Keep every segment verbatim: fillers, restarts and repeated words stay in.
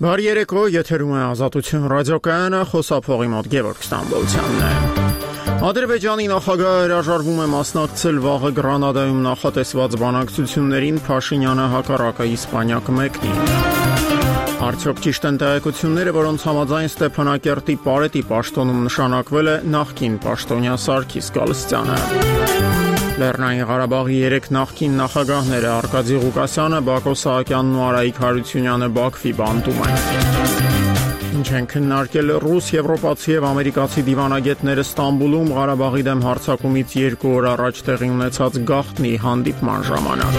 Բարի երեկո, եթերում է Ազատություն ռադիոկայանը, խոսափողի մոտ Գևորգ Ստամբոլցյանն է։ Ադրբեջանի նախագահը հրաժարվում է մասնակցել վաղը Գրանադայում նախատեսված բանակցություններին, Փաշինյանը հակառակը Իսպանիա կմեկնի։ Արդյոք ճիշտ են տեղեկությունները, որոնց համաձայն Ստեփանակերտի Պարետի պաշտոնում նշանակվել է նախկին պաշտոնյա Սարգիս Գալստյանը։ Լեռնային Ղարաբաղի երեք նախկին նախագահները Արկադի Ղուկասյանը, Բակո Սահակյանն ու Արայիկ Հարությունյանը Բաքվի բանտում են։ Ինչ են քննարկել ռուս, եվրոպացի եւ ամերիկացի դիվանագետները Ստամբուլում Ղարաբաղի դեմ հարձակումից երկու օր առաջ տեղի ունեցած գաղտնի հանդիպման ժամանակ։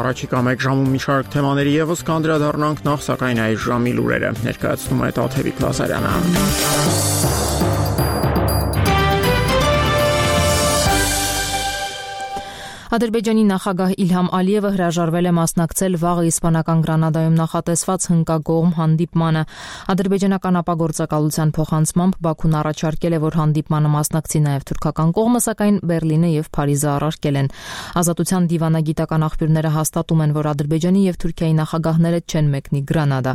Առաջիկա մեկ ժամում մի շարք թեմաների եւս կանդրադառնանք, նախ սակայն այս ժամի լուրերը ներկայացնում է Տաթևիկ Լազարյանը։ Ադրբեջանի նախագահ Իլհամ Ալիևը հրաժարվել է մասնակցել վաղը իսպանական Գրանադայում նախատեսված հնկագողմ հանդիպմանը։ Ադրբեջանական ապագործակալության փոխանցմամբ Բաքուն առաջարկել է, որ հանդիպմանը մասնակցի նաև թուրքական կողմը, սակայն Բերլինը եւ Փարիզը առարկել են։ Ազատության դիվանագիտական աղբյուրները հաստատում են, որ Ադրբեջանի եւ Թուրքիայի նախագահները չեն մեկնի Գրանադա։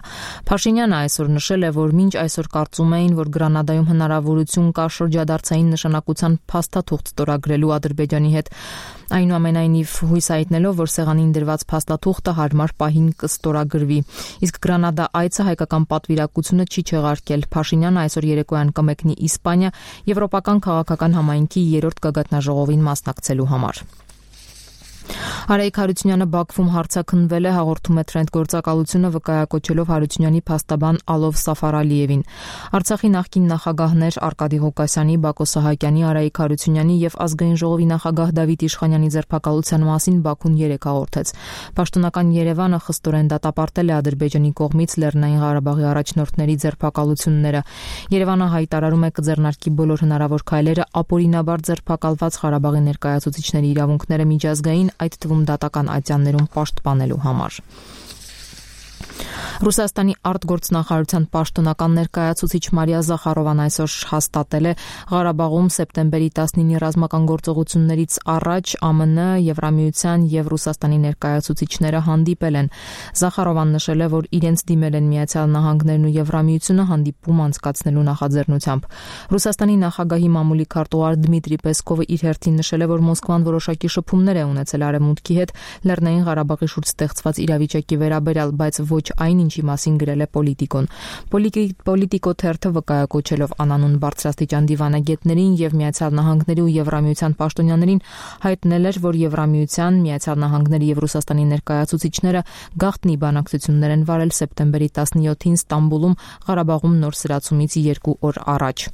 Փաշինյանը այսօր նշել է, որ մինչ այսօր կարծում էին, որ Գրանադայում հնարավորություն կա շրջադարձային նշանակության փաստաթուղթ ստորագրելու Ադրբեջանի հետ, այնուամենայնիվ հույս հայտնելով, որ սեղանին դրված փաստաթուղթը հարմար պահին կստորագրվի։ Իսկ Գրանադա այցը հայկական պատվիրակությունը չի չեղարկել։ Փաշինյանը այսօր երեկոյան կմեկնի Իսպանիա Եվրոպական քաղաքական համայնքի երրորդ գագաթնաժողովին մասնակցելու համար։ Արայիկ Հարությունյանը Բաքվում հարցաքննվել է, հաղորդում է Trend գործակալությունը, վկայակոչելով Հարությունյանի փաստաբան Ալով Սաֆարալիևին։ Արցախի նախկին նախագահներ Արկադի Ղուկասյանի, Բակո Սահակյանի, Արայիկ Հարությունյանի եւ Ազգային ժողովի նախագահ Դավիթ Իշխանյանի ձերբակալության մասին Բաքուն երեկ հաղորդեց։ Պաշտոնական Երևանը խստորեն դատապարտել է Ադրբեջանի կողմից Լեռնային Ղարաբաղի առաջնորդների ձերբակալությունները։ Երևանը հայտարարում է կձեռնարկի բոլոր հնարավոր քայլերը ապօրինաբար ձերբակալված Ղարաբաղի ներկայացուցիչների իրավունքները միջազգային, այդ թվում դատական ատյաններում պաշտպանելու համար։ Ռուսաստանի արտգործնախարարության պաշտոնական ներկայացուցիչ Մարիա Զախարովան այսօր հաստատել է Ղարաբաղում սեպտեմբերի տասնինի ռազմական գործողություններից առաջ ԱՄՆ, Եվրամիության եւ Ռուսաստանի ներկայացուցիչները հանդիպել են։ Զախարովան նշել է, որ իրենց դիմել են Միացյալ Նահանգներն ու Եվրամիությունը հանդիպում անցկացնելու նախաձեռնությամբ։ Ռուսաստանի նախագահի մամուլի քարտուղար Դմիտրի Պեսկովը իր հերթին նշել է, որ Մոսկվան որոշակի շփումներ է ունեցել Արևմուտքի հետ Լեռնային Ղարաբաղի շուրջ ստեղծված իրավիճակի վերաբերյալ, բայց ոչ այն, ինչի մասին գրել է Պոլիտիկոն։ Պոլիտիկո թերթը վկայակոչելով անանուն բարձրաստիճան դիվանագետներին եւ Միացյալ Նահանգների ու Եվրամիության պաշտոնյաներին հայտնել էր, որ Եվրամիության, Միացյալ Նահանգների եւ Ռուսաստանի ներկայացուցիչները գաղտնի բանակցություններ են վարել սեպտեմբերի տասնյոթին Ստամբուլում Ղարաբաղում նոր սրացումից երկու օր առաջ։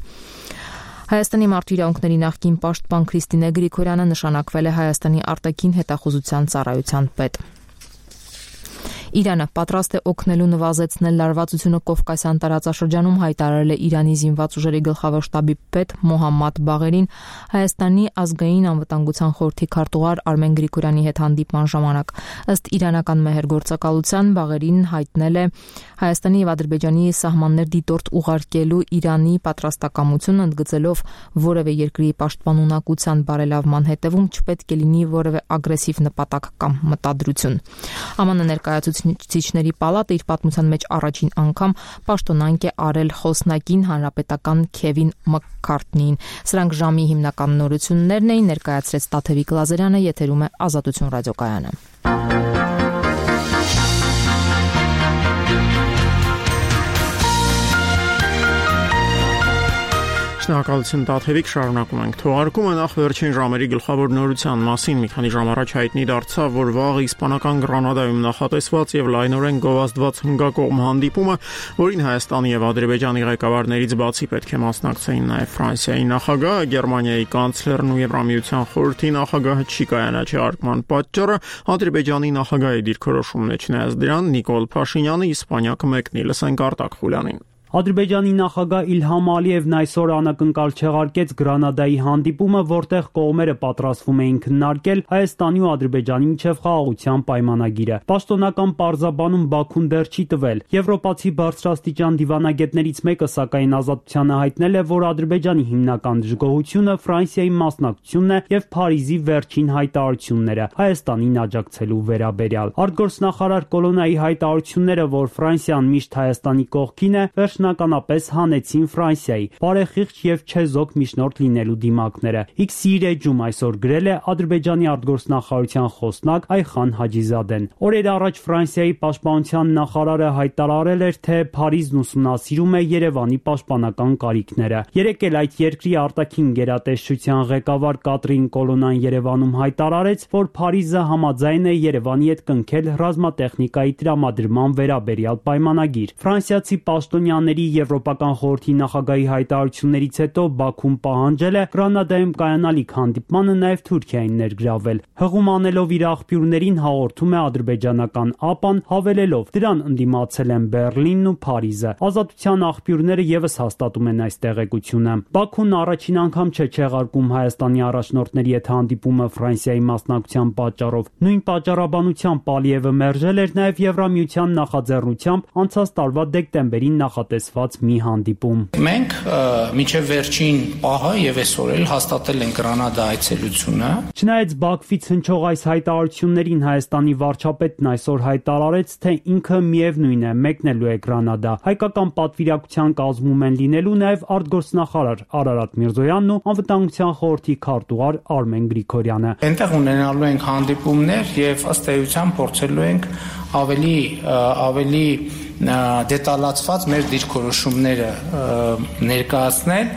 Հայաստանի մարդու իրավունքների նախկին պաշտպան Քրիստինե Գրիգորյանը նշանակվել է Հայաստանի արտաքին հետախուզության ծառայության պետ։ Իրանը պատրաստ է օգնելու նվազեցնել լարվածությունը Կովկասյան տարածաշրջանում, հայտարարել է Իրանի զինված ուժերի գլխավոր շտաբի պետ Մոհամմադ Բաղերին Հայաստանի ազգային անվտանգության խորհրդի քարտուղար Արմեն Գրիգորյանի հետ հանդիպման ժամանակ։ Ըստ իրանական մեհերգործակալության Բաղերին հայտնել է Հայաստանի եւ Ադրբեջանի սահմաններ դիտորդ ուղարկելու Իրանի պատրաստակամությունը, ընդգծելով որևէ երկրի պաշտպանունակության բարելավման հետևում չպետք է լինի որևէ ագրեսիվ նպատակ կամ մտադրություն։ ԱՄՆ ներկայացուցիչների պալատը իր պատմության մեջ առաջին անգամ պաշտոնանկ է արել խոսնակին հանրապետական Քևին Մաքքարթնիին։ Սրանք ժամի հիմնական նորություններն էին, ներկայացրեց Տաթևիկ Լազարյանը, եթերում է Ազատություն ռադիոկայանը։ Շնորհակալություն Տաթևիկ, շարունակում ենք թողարկումը։ Նախ վերջին ժամերի գլխավոր նորության մասին մի քանի ժամ առաջ հայտնի դարձավ, որ վաղը իսպանական Գրանադայում նախատեսված եւ լայնորեն գովազդված հնգակողմ հանդիպումը, որին Հայաստանի եւ Ադրբեջանի ղեկավարներից բացի պետք է մասնակցեին նաեւ Ֆրանսիայի նախագահը, Գերմանիայի կանցլերն ու Եվրամիության խորհրդի նախագահը չի կայանաչարկման պատճառը Ադրբեջանի նախագահի դիրքորոշումն է, չնայած դրան Նիկոլ Փաշինյանը Իսպանիա կմեկնի, լսենք Արտակ Խուլյանին։ Ադրբեջանի նախագահ Իլհամ Ալիևն այսօր անակնկալ չեղարկեց Գրանադայի հանդիպումը, որտեղ կողմերը պատրաստվում էին քննարկել Հայաստանի ու Ադրբեջանի միջև խաղաղության պայմանագիրը։ Պաշտոնական պարզաբանում Բաքուն դեռ չի տվել։ Եվրոպացի բարձրաստիճան դիվանագետներից մեկը սակայն Ազատությանը հայտնել է, որ Ադրբեջանի հիմնական դժգոհությունը Ֆրանսիայի մասնակցությունն է եւ Փարիզի վերջին հայտարարությունները Հայաստանին աջակցելու վերաբերյալ։ Արտգործնախարար Կոլոնայի հայտարարությունները, որ Ֆրանսիան միշտ Հայաստանի կողքին է, վերջնականապես հանեցին Ֆրանսիայի բարեխիղճ եւ չեզոք միջնորդ լինելու դիմակները։ X-ի էջում այսօր գրել է Ադրբեջանի արտգործնախարարության խոսնակ Այխան Հաջիզադեն։ Օրեր առաջ Ֆրանսիայի պաշտպանության նախարարը հայտարարել էր, թե Փարիզն ուսումնասիրում է Երևանի պաշտպանական կարիքները։ Երեկ էլ այդ երկրի արտաքին գերատեսչության ղեկավար Կատրին Կոլոնան Երևանում հայտարարեց, որ Փարիզը համաձայն է Երևանի հետ կնքել ռազմատեխնիկայի տրամադրման վերաբերյալ պայմանագիր։ Ֆրանսիացի պաշտոնյաների Եվրոպական խորհրդի նախագահի հայտարարություններից հետո Բաքուն պահանջել է Գրանադայում կայանալիք հանդիպմանը նաև Թուրքիային ներգրավել։ Հղում անելով իր աղբյուրներին հաղորդում է ադրբեջանական ԱՊԱ-ն, հավելելով. դրան ընդդիմացել են Բեռլինն ու Փարիզը։ Ազատության աղբյուրները եւս հաստատում են այս տեղեկությունը։ Բաքուն առաջին անգամ չէ չեղարկում Հայաստանի առաջնորդների հետ հանդիպումը Ֆրանսիայի մասնակցության պատճառով։ Նույն պատճառաբանությամբ Ալիևը մերժել էր նաև Եվրամիության նախաձեռնությամբ անցած տարվա դեկտեմբերին նախատեսված մի հանդիպում։ Մենք մինչև վերջին պահը եւ այսօր էլ հաստատել ենք Գրանադա այցելությունը։ Չնայած Բաքվից հնչող այս հայտարարություններին Հայաստանի վարչապետն այսօր հայտարարեց, թե ինքը միևնույն է մեկնելու է Գրանադա։ Հայկական պատվիրակության կազմում են լինելու նաև արտգործնախարար Արարատ Միրզոյանն ու անվտանգության խորհրդի քարտուղար Արմեն Գրիգորյանը։ Այնտեղ ունենալու ենք հանդիպումներ եւ ըստ էության փորձելու ենք ավելի ավելի դետալացված մեր դիրքորոշումները ներկայացնել։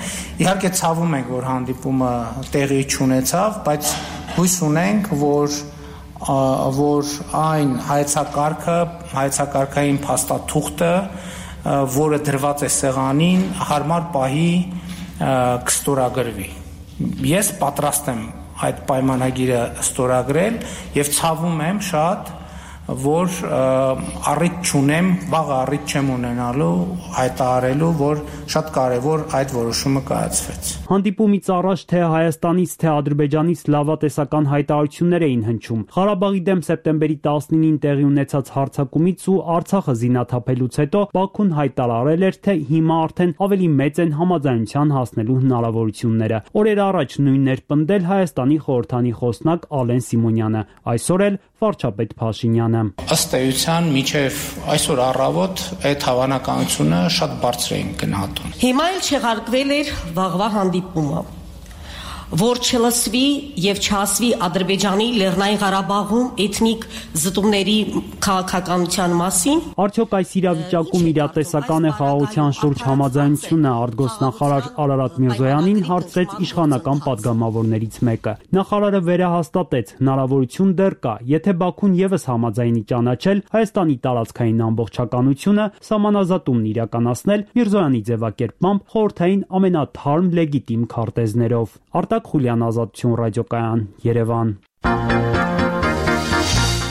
Իհարկե ցավում ենք, որ հանդիպումը տեղի չունեցավ, բայց հույս ունենք, որ որ այն հայեցակարգը, հայեցակարգային փաստաթուղթը, որը դրված է սեղանին, հարմար պահի կստորագրվի։ Ես պատրաստ եմ այդ պայմանագիրը ստորագրել եւ ցավում եմ շատ, որ առիթ չունեմ, վաղ առիթ չեմ ունենալու հայտարարելու, որ շատ կարևոր այդ որոշումը կայացվեց։ Հանդիպումից առաջ թե Հայաստանից, թե Ադրբեջանից լավատեսական հայտարարություններ էին հնչում։ Ղարաբաղի դեմ սեպտեմբերի տասնինին տեղի ունեցած հարձակումից ու Արցախը զինաթափելուց հետո Բաքուն հայտարարել էր, թե հիմա արդեն ավելի մեծ են համաձայնության հասնելու հնարավորությունները։ Օրեր առաջ նույնն էր պնդել Հայաստանի խորհրդանի խոսնակ Ալեն Սիմոնյանը, այսօր էլ վարչապետ Փաշինյանը։ Ըստ էության մինչև այսօր առավոտ այդ հավանականությունը շատ բարձր էին գնահատում։ Հիմա էլ չեղարկվել էր վաղվա հանդիպումը, որ չլսվի եւ չասվի Ադրբեջանի Լեռնային Ղարաբաղում էթնիկ զտումների քաղաքականության մասին։ Արդյոք այս իրավիճակում իրատեսական է խաղաղության շուրջ համաձայնությունը, արտգործնախարար Արարատ Միրզոյանին հարցրեց իշխանական падգամավորներից մեկը։ Նախարարը վերահաստատեց, հնարավորություն դեռ կա, եթե Բաքուն եւս համաձայնի ճանաչել Հայաստանի տարածքային ամբողջականությունը, սահմանազատումն իրականացնել Միրզոյանի ձևակերպմամբ խորհրդային ամենաթարմ լեգիտիմ քարտեզներով։ Արտակ Խուլյան, Ազատություն ռադիոկայան, Երևան։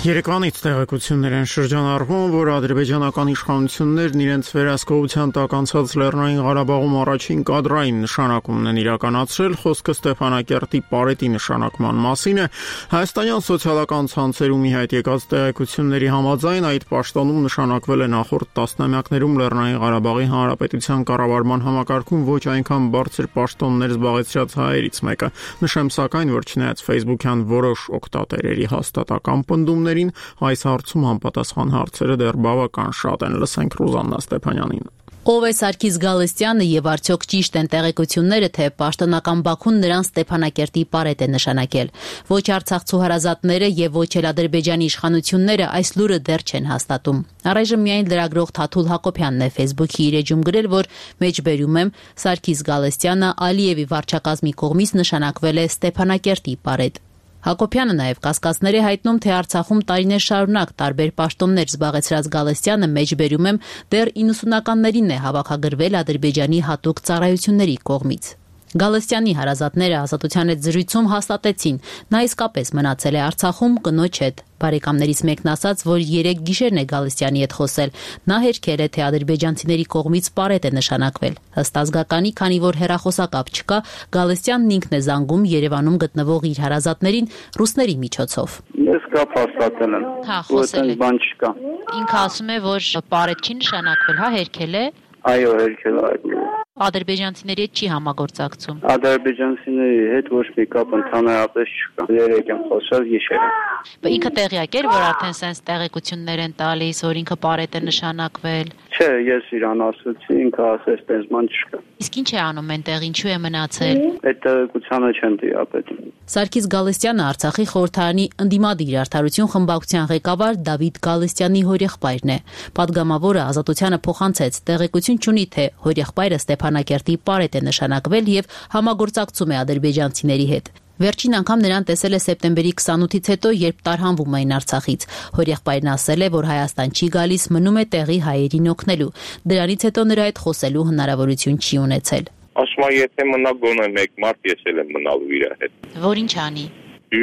Երեկվանից տեղեկություններ են շրջանառվում, որ ադրբեջանական իշխանություններն իրենց վերահսկողության տակ անցած Լեռնային Ղարաբաղում առաջին կադրային նշանակումն են իրականացրել։ Խոսքը Ստեփանակերտի պարետի նշանակման մասին է։ Հայաստանյան սոցիալական ցանցերում ի հայտ եկած տեղեկությունների համաձայն այդ պաշտոնում նշանակվել է նախորդ տասնամյակներում Լեռնային Ղարաբաղի Հանրապետության կառավարման համակարգում ոչ այնքան բարձր պաշտոններ զբաղեցրած հայերից մեկը։ Նշեմ սակայն, որ չնայած Facebook-յան որոշ օգտատերերի հաստատական պնդումներ այս հարցում համապատասխան հարցերը դեռ բավական շատ են։ Լսենք Ռուզաննա Ստեփանյանին։ Ով է Սարգիս Գալստյանը եւ արդյոք ճիշտ են տեղեկությունները, թե պաշտոնական Բաքուն նրան Ստեփանակերտի պարետ է նշանակել։ Ոչ արցախցու հարազատները եւ ոչ էլ Ադրբեջանի իշխանությունները այս լուրը դեռ չեն հաստատում։ Առայժմ միայն լրագրող Թաթուլ Հակոբյանն է Facebook-ի իր էջում գրել, որ մեջբերում եմ Սարգիս Գալստյանը Ալիևի վարչակազմի կողմից նշանակվել է Ստեփանակերտի պարետ։ Հակոբյանը նաև կասկածներ է հայտնում, թե Արցախում տարիներ շարունակ տարբեր պաշտոններ զբաղեցրած Գալստյանը մեջբերում եմ դեռ իննսունականներին է հավաքագրվել Ադրբեջանի հատուկ ծառայությունների կողմից։ Գալստյանի հարազատները Ազատության հետ զրույցում հաստատեցին, նա իսկապես մնացել է Արցախում կնոջ հետ։ Բարեկամներից մեկն ասաց, որ երեք գիշերն է Գալստյանի հետ խոսել։ Նա հերքել է, թե ադրբեջանցիների կողմից պարետ է նշանակվել։ Ըստ ազգականի, քանի որ հեռախոսակապ չկա, Գալստյանն ինքն է զանգում Երևանում գտնվող իր հարազատներին ռուսների միջոցով։ Ես կապ հաստատել եմ։ Հա, խոսել է։ Բան չկա։ Ինքը ասում է, որ պարետ չի նշանակվել, հա, հերքել է։ Այո, հերքել է։ Ադրբեջանցիների հետ չի համագործակցում։ Ադրբեջանցիների հետ ոչ մի կապ ընդհանրապես չկա։ Երեք եմ խոսել գիշերը։ Ինքը տեղյակ էր, որ արդեն սենց տեղեկություններ են տալիս, որ ինքը պարետ է նշանակվել։ Չէ, ես իրան ասացի, ինքը ասեց, տես ման չկա։ Իսկ ինչ է անում այնտեղ, ինչու է մնացել։ Այդ տեղեկությանը չեն տիրապետում։ Սարգիս Գալստյանը Արցախի խորհրդարանի ընդդիմադիր արդարություն խմբակցության ղեկավար Դավիթ Գալստյանի հորեղբայրն է։ Պատգամավորը Ազատությանը փոխանցեց, տեղեկություն չունի, թե հորեղբայրը Ստեփանակերտի պարետ է նշանակվել եւ համագործակցում է ադրբեջանցիների հետ։ Վերջին անգամ նրան տեսել է սեպտեմբերի քսանութից հետո, երբ տարհանվում էին Արցախից։ Հորեղբայրն ասել է, որ Հայաստան չի գալիս, մնում է տեղի հայերին օգնելու։ Դրանից հետո նրա հետ խոսելու հնարավորություն չի ունեցել։ Ասում եմ, եթե մնա գոնե մեկ մարդ, ես էլ եմ մնալու իր հետ։ Որ ինչ անի։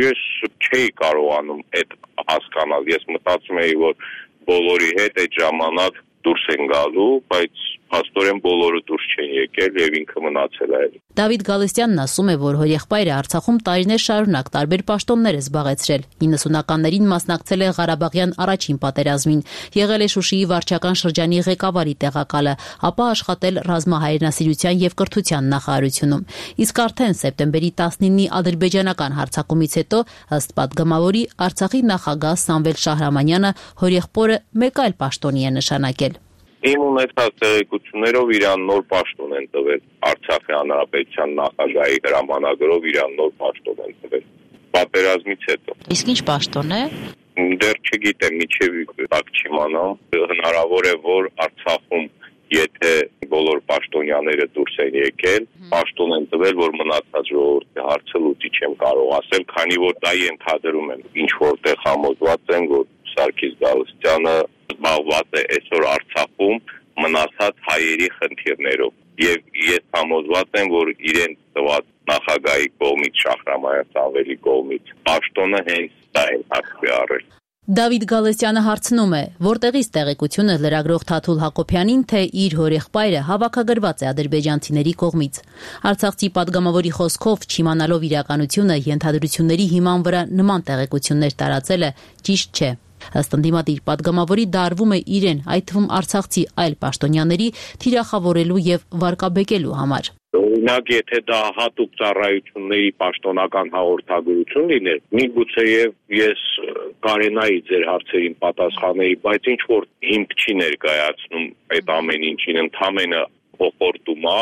Ես չէի կարողանում այդ հասկանալ։ Ես մտածում էի, որ բոլորի հետ այդ ժամանակ դուրս են գալու, բայց փաստորեն բոլորը դուրս չեն եկել եւ ինքը մնացել է։ Դավիթ Գալստյանն ասում է, որ հորեղբայրը Արցախում տարիներ շարունակ տարբեր պաշտոններ է զբաղեցրել։ իննսունականներին մասնակցել է Ղարաբաղյան առաջին պատերազմին, եղել է Շուշիի վարչական շրջանի ղեկավարի տեղակալը, ապա աշխատել ռազմահայրենասիրության եւ կրթության նախարարությունում։ Իսկ արդեն սեպտեմբերի տասնինի ադրբեջանական հարձակումից հետո, ըստ պատգամավորի, Արցախի նախագահ Սամվել Շահրամանյանը հորեղբորը մեկ այլ պաշտոնի է նշանակել։ Իմ ունեցած տեղեկություններով իրան նոր պաշտոն են տվել Արցախի հանրապետության նախագահի հրամանագրով իրան նոր պաշտոն են տվել պատերազմից հետո։ Իսկ ինչ պաշտոն է։ Դեռ չգիտեմ, միջև տակ չիմանամ։ Հնարավոր է, որ Արցախում եթե բոլոր պաշտոնյաները դուրս են եկել, պաշտոն են տվել, որ մնացած ժողովրդի հարցը լուծի չեմ կարող ասել, քանի որ դա ենթադրում եմ, ինչ որտեղ համոզված են, որ Սարգիս Գալստյանը զբաղված է այսօր Արցախում մնացած հայերի խնդիրներով եւ ես համոզված եմ, որ իրեն տված նախագահի կողմից Շահրամանյան Սամվելի կողմից պաշտոնը հենց դա են հաշվի առել։ Դավիթ Գալստյանը հարցնում է, որտեղից տեղեկությունը լրագրող Թաթուլ Հակոբյանին, թե իր հորեղբայրը հավաքագրված է ադրբեջանցիների կողմից։ Արցախցի պատգամավորի խոսքով, չիմանալով իրականությունը, ենթադրությունների հիման վրա նման տեղեկություններ տարածելը ճիշտ չէ։ Ըստ ընդդիմադիր պատգամավորի դա արվում է իրեն, այդ թվում արցախցի այլ պաշտոնյաների թիրախավորելու եւ վարկաբեկելու համար։ Օրինակ, եթե դա հատուկ ծառայությունների պաշտոնական հաղորդագրություն լիներ, միգուցեև ես կարենայի ձեր հարցերին պատասխաների, բայց ինչ որ հիմք չի ներկայացնում այդ ամեն ինչին, ընդամենը փոխորդում է,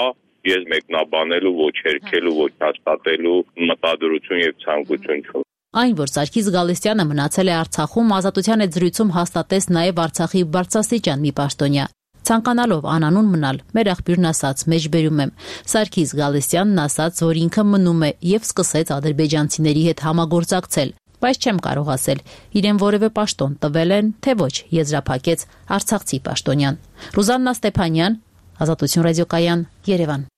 ես մեկնաբանելու, ոչ հերքելու, ոչ հաստատելու մտադրություն եւ ցանկություն չունեմ։ Այն, որ Սարգիս Գալստյանը մնացել է Արցախում, Ազատության հետ զրույցում հաստատեց նաև Արցախի բարձրաստիճան մի պաշտոնյա։ Ցանկանալով անանուն մնալ, մեր աղբյուրն ասաց, մեջբերում եմ, Սարգիս Գալստյանն ասաց, որ ինքը մնում է եւ սկսեց ադրբեջանցիների հետ համագործակցել, բայց չեմ կարող ասել, իրեն որևէ պաշտոն տվել են, թե ոչ, եզրափակեց արցախցի պաշտոնյան։ Ռուզաննա Ստեփանյան, Ազատություն ռադիոկայան, Երևան։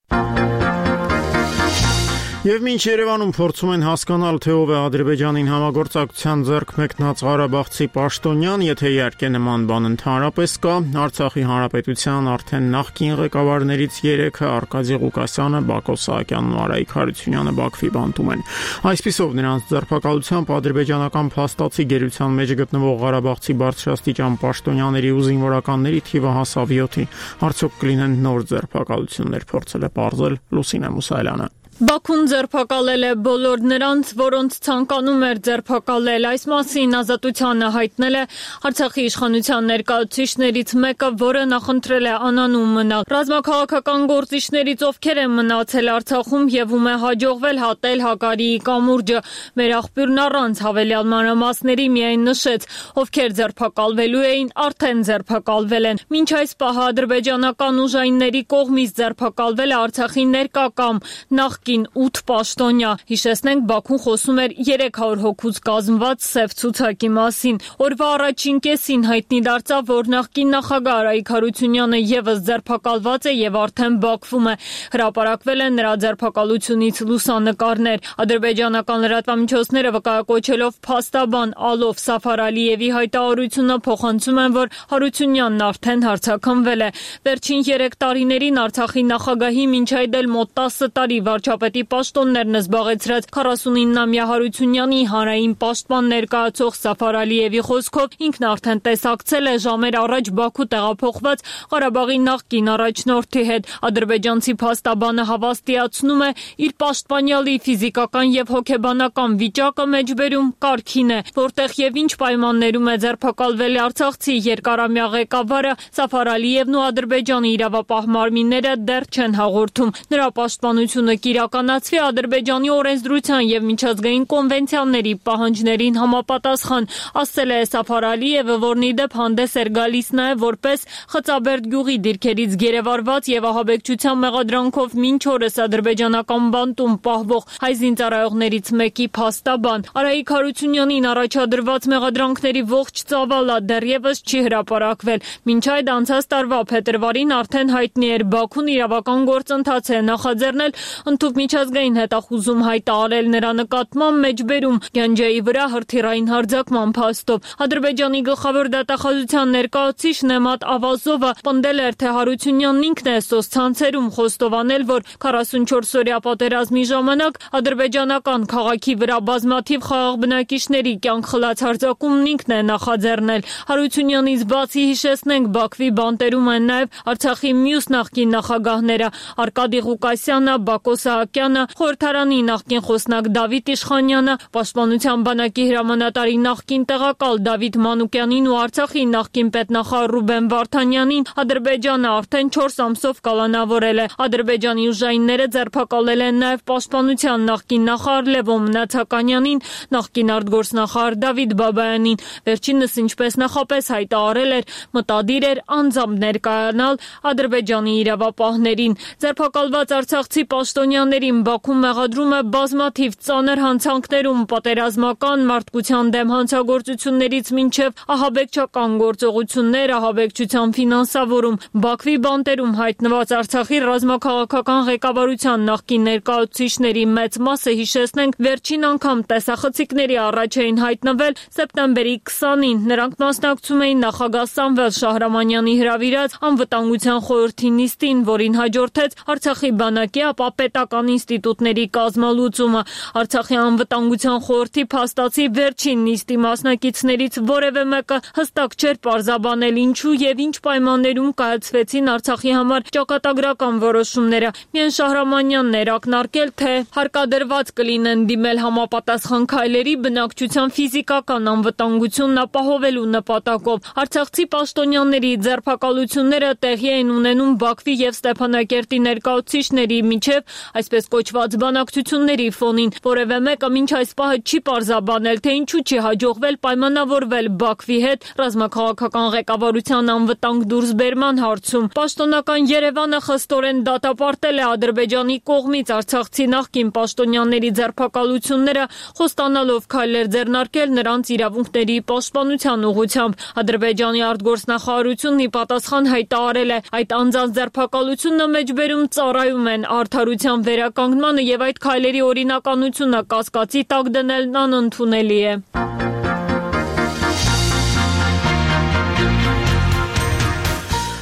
Եվ մինչ Երևանում փորձում են հասկանալ, թե ով է Ադրբեջանին համագործակցության ձեռք մեկնած Ղարաբաղցի պաշտոնյան, եթե իհարկե նման բան ընդհանրապես կա, Արցախի հանրապետության արդեն նախկին ղեկավարներից երեքը Արկադի Ղուկասյանը, Բակո Սահակյանն ու Արայիկ Հարությունյանը Բաքվի բանտում են։ Այսպիսով նրանց ձերբակալությամբ ադրբեջանական փաստացի գերության մեջ գտնվող Ղարաբաղցի բարձրաստիճան պաշտոնյաների ու զինվորականների թիվը հասավ յոթի։ Արդյոք կլինեն նոր ձերբակալություններ, փորձել է պարզել Լուսինե Մուսայելյանը։ Բաքուն ձերբակալել է բոլոր նրանց, որոնց ցանկանում էր ձերբակալել։ Այս մասին Ազատությանը հայտնել է Արցախի իշխանության ներկայացուցիչներից մեկը, որը նախընտրել է անանուն մնալ։ Ռազմաքաղաքական գործիչներից ովքեր են մնացել Արցախում եւ ում է հաջողվել հատել Հակարիի կամուրջը։ Մեր աղբյուրն առանց հավելյալ մանրամասների միայն նշեց, ովքեր ձերբակալվելու էին, արդեն ձերբակալվել են։ Մինչ այս պահը ադրբեջանական ուժայինների կողմից ձերբակալվել է Արցախի ներկա կամ նախկին նախկին ութ պաշտոնյա։ Հիշեցնենք, Բաքուն խոսում էր երեք հարյուր հոգուց կազմված սև ցուցակի մասին։ Օրվա առաջին կեսին հայտնի դարձավ, որ նախկին նախագահ Արայիկ Հարությունյանը եւս ձերբակալված է եւ արդեն Բաքվում է։ Հրապարակվել են նրա ձերբակալությունից լուսանկարներ։ Ադրբեջանական լրատվամիջոցները վկայակոչելով փաստաբան Ալով Սաֆար Ալիևի հայտարարությունը փոխանցում են, որ Հարությունյանն արդեն հարձակվել է։ Վերջին երեք տարիներին Արցախի նախագահի մինչ այդ էլ մոտ տասը տարի վարչապետի պաշտոններն զբաղեցրած քառասունինամյա Հարությունյանի հանրային պաշտպան ներկայացող Սաֆար Ալիևի խոսքով ինքն արդեն տեսակցել է ժամեր առաջ Բաքու տեղափոխված Ղարաբաղի նախկին առաջնորդի հետ։ Ադրբեջանցի փաստաբանը հավաստիացնում է, իր պաշտպանյալի ֆիզիկական եւ հոգեբանական վիճակը մեջբերում կարգին է, որտեղ եւ ինչ պայմաններում է ձերբակալվել արցախցի երկարամյա ղեկավարը Սաֆար Ալիևն ու Ադրբեջանի իրավապահ մարմինները դեռ չեն հաղորդում։ Նրա պաշտպանությունը կիրականացվի Ադրբեջանի օրենսդրության եւ միջազգային կոնվենցիաների պահանջներին համապատասխան, ասել է Սաֆար Ալիևը, որն ի դեպ հանդես էր գալիս նաեւ որպես Խծաբերդ գյուղի դիրքերից գերեվարված եւ ահաբեկչության մեղադրանքով մինչ օրս ադրբեջանական բանտում պահվող հայ զինծառայողներից մեկի փաստաբան։ Արայիկ Հարությունյանին առաջադրված մեղադրանքների ողջ ծավալը դեռևս չի հրապարակվել։ Մինչ այդ անցած տարվա փետրվարին արդեն հայտնի էր Բաքուն իրավական գործընթաց է նախաձեռնել ընդհանուր միջազգային հետախուզում հայտարարել նրա նկատմամբ մեջբերում Գանջեի վրա հրթիռային հարձակման փաստով։ Ադրբեջանի գլխավոր դատախազության ներկայացուցիչ Նեմատ Ավազովը պնդել էր, թե Հարությունյանն ինքն է սոցցանցերում խոստովանել, որ քառասունչորս-օրյա պատերազմի ժամանակ ադրբեջանական քաղաքի վրա բազմաթիվ խաղաղ բնակիչների կյանք խլած հարձակումն ինքն է նախաձեռնել։ Հարությունյանից բացի հիշեցնենք, Բաքվի բանտերում են նաև Արցախի մյուս նախկին նախագահները Արկադի Ղուկասյանը, Բակո Սահակյանը, խորհրդարանի նախկին խոսնակ Դավիթ Իշխանյանը, Պաշտպանության բանակի հրամանատարի նախկին տեղակալ Դավիթ Մանուկյանին ու Արցախի նախկին պետնախարար Ռուբեն Վարդանյանին Ադրբեջանը արդեն չորս ամսով կալանավորել է։ Ադրբեջանի ուժայինները ձերբակալել են նաև Պաշտպանության նախկին նախարար Լևո Մնացականյանին, նախկին արտգործնախարար Դավիթ Բաբայանին։ Վերջինս, ինչպես նախապես հայտարարել էր, մտադիր էր անձամբ ներկայանալ Ադրբեջանի իրավապահներին։ Ձերբակալված արցախցի պաշտոնյաներին Բաքուն մեղադրում է բազմաթիվ ծանր հանցանքներում, պատերազմական, մարդկության դեմ հանցագործություններից մինչև ահաբեկչական գործողություններ, ահաբեկչության ֆինանսավորում։ Բաքվի բանտերում հայտնված Արցախի ռազմաքաղաքական ղեկավարության նախկին ներկայացուցիչների մեծ մասը, հիշեցնենք, վերջին անգամ տեսախցիկների առաջ էին հայտնվել սեպտեմբերի քսանին։ Նրանք մասնակցում էին նախագահ Սամվել Շահրամանյանի հրավիրած անվտանգության խորհրդի նիստին, որին հաջորդեց Արցախի բանակի, ապա պետական ինստիտուտների կազմալուծումը։ Արցախի անվտանգության խորհրդի փաստացի վերջին նիստի մասնակիցներից որևէ մեկը հստակ չէր պարզաբանել ինչու եւ ինչ պայմաններում կայացվեցին Արցախի համար ճակատագրական որոշումները։ Միայն Շահրամանյանն էր ակնարկել, թե հարկադրված կլինեն դիմել համապատասխան քայլերի բնակչության ֆիզիկական անվտանգությունն ապահովելու նպատակով։ Արցախցի պաշտոնյաների ձերբակալությունները տեղի են ունենում Բաքվի եւ Ստեփանակերտի ներկայացուցիչների միջև այսպես կոչված բանակցությունների ֆոնին։ Որևէ մեկը մինչ այս պահը չի պարզաբանել, թե ինչու չի հաջողվել պայմանավորվել Բաքվի հետ ռազմաքաղաքական ղեկավարության անվտանգ դուրսբերման հարցում։ Պաշտոնական Երևանը խստորեն դատապարտել է Ադրբեջանի կողմից արցախցի նախկին պաշտոնյաների ձերբակալությունները, խոստանալով քայլեր ձեռնարկել նրանց իրավունքների պաշտպանության ուղղությամբ։ Ադրբեջանի արտգործնախարարությունն ի պատասխան հայտարարել է, այդ անձանց ձերբակալությունը մեջբերում ծառայում են արդարության վերականգնմանը եւ այդ քայլերի օրինականությունը կասկածի տակ դնելն անընդունելի է։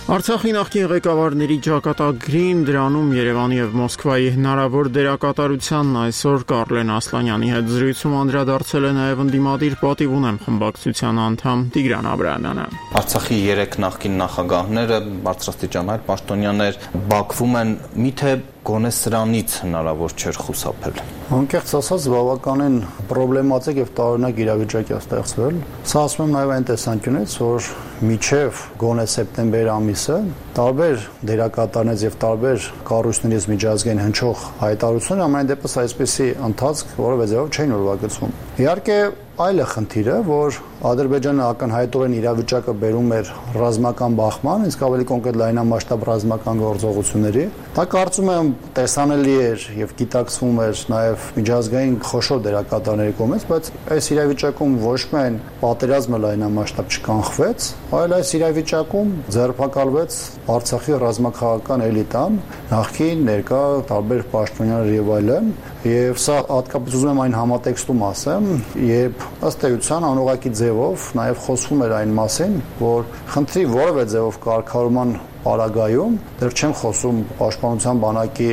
Արցախի նախկին ղեկավարների ճակատագրին դրանում Երևանի եւ Մոսկվայի հնարավոր դերակատարությանն այսօր Կարլեն Ասլանյանի հետ զրույցում անդրադարձել է նաեւ ընդդիմադիր պատիվ ունեմ խմբակցության անդամ Տիգրան Աբրահամյանը։ Արցախի երեք նախկին նախագահները, բարձրաստիճան հայ պաշտոնյաներ Բաքվում են, միթե գոնե սրանից հնարավոր չէր խուսափել։ Անկեղծ ասած, բավականին պրոբլեմատիկ եւ տարօրինակ իրավիճակ է ստեղծվել։ Սա ասում եմ նաեւ այն տեսանկյունից, որ միջև գոնե սեպտեմբեր ամիսը տարբեր դերակատարներից եւ տարբեր կառույցներից միջազգային հնչող հայտարարություններ ամեն դեպս այսպեսի ընթացք որևէ ձևով չէին ուրվագծվում։ Իհարկե այլ է խնդիրը, որ Ադրբեջանը ակնհայտորեն իրավիճակը բերում էր ռազմական բախման, իսկ ավելի կոնկրետ լայնամասշտաբ ռազմական գործողությունների։ Դա կարծում եմ տեսանելի էր եւ գիտակցվում էր նաեւ միջազգային խոշոր դերակատարների կողմից, բայց այս իրավիճակում ոչ միայն պատերազմը լայնամասշտաբ չկանխվեց, այլ այս իրավիճակում ձերբակալվեց Արցախի ռազմաքաղաքական էլիտան, նախկին, ներկա, տարբեր պաշտոնյաներ եւ այլն, եւ սա հատկապես ուզում եմ այն համատեքստում ասեմ, երբ ըստ էության անուղակի ձևով նաեւ խոսվում էր այն մասին, որ խնդրի որևէ ձևով կարգավորման պարագայում, դեռ չեմ խոսում պաշտպանության բանակի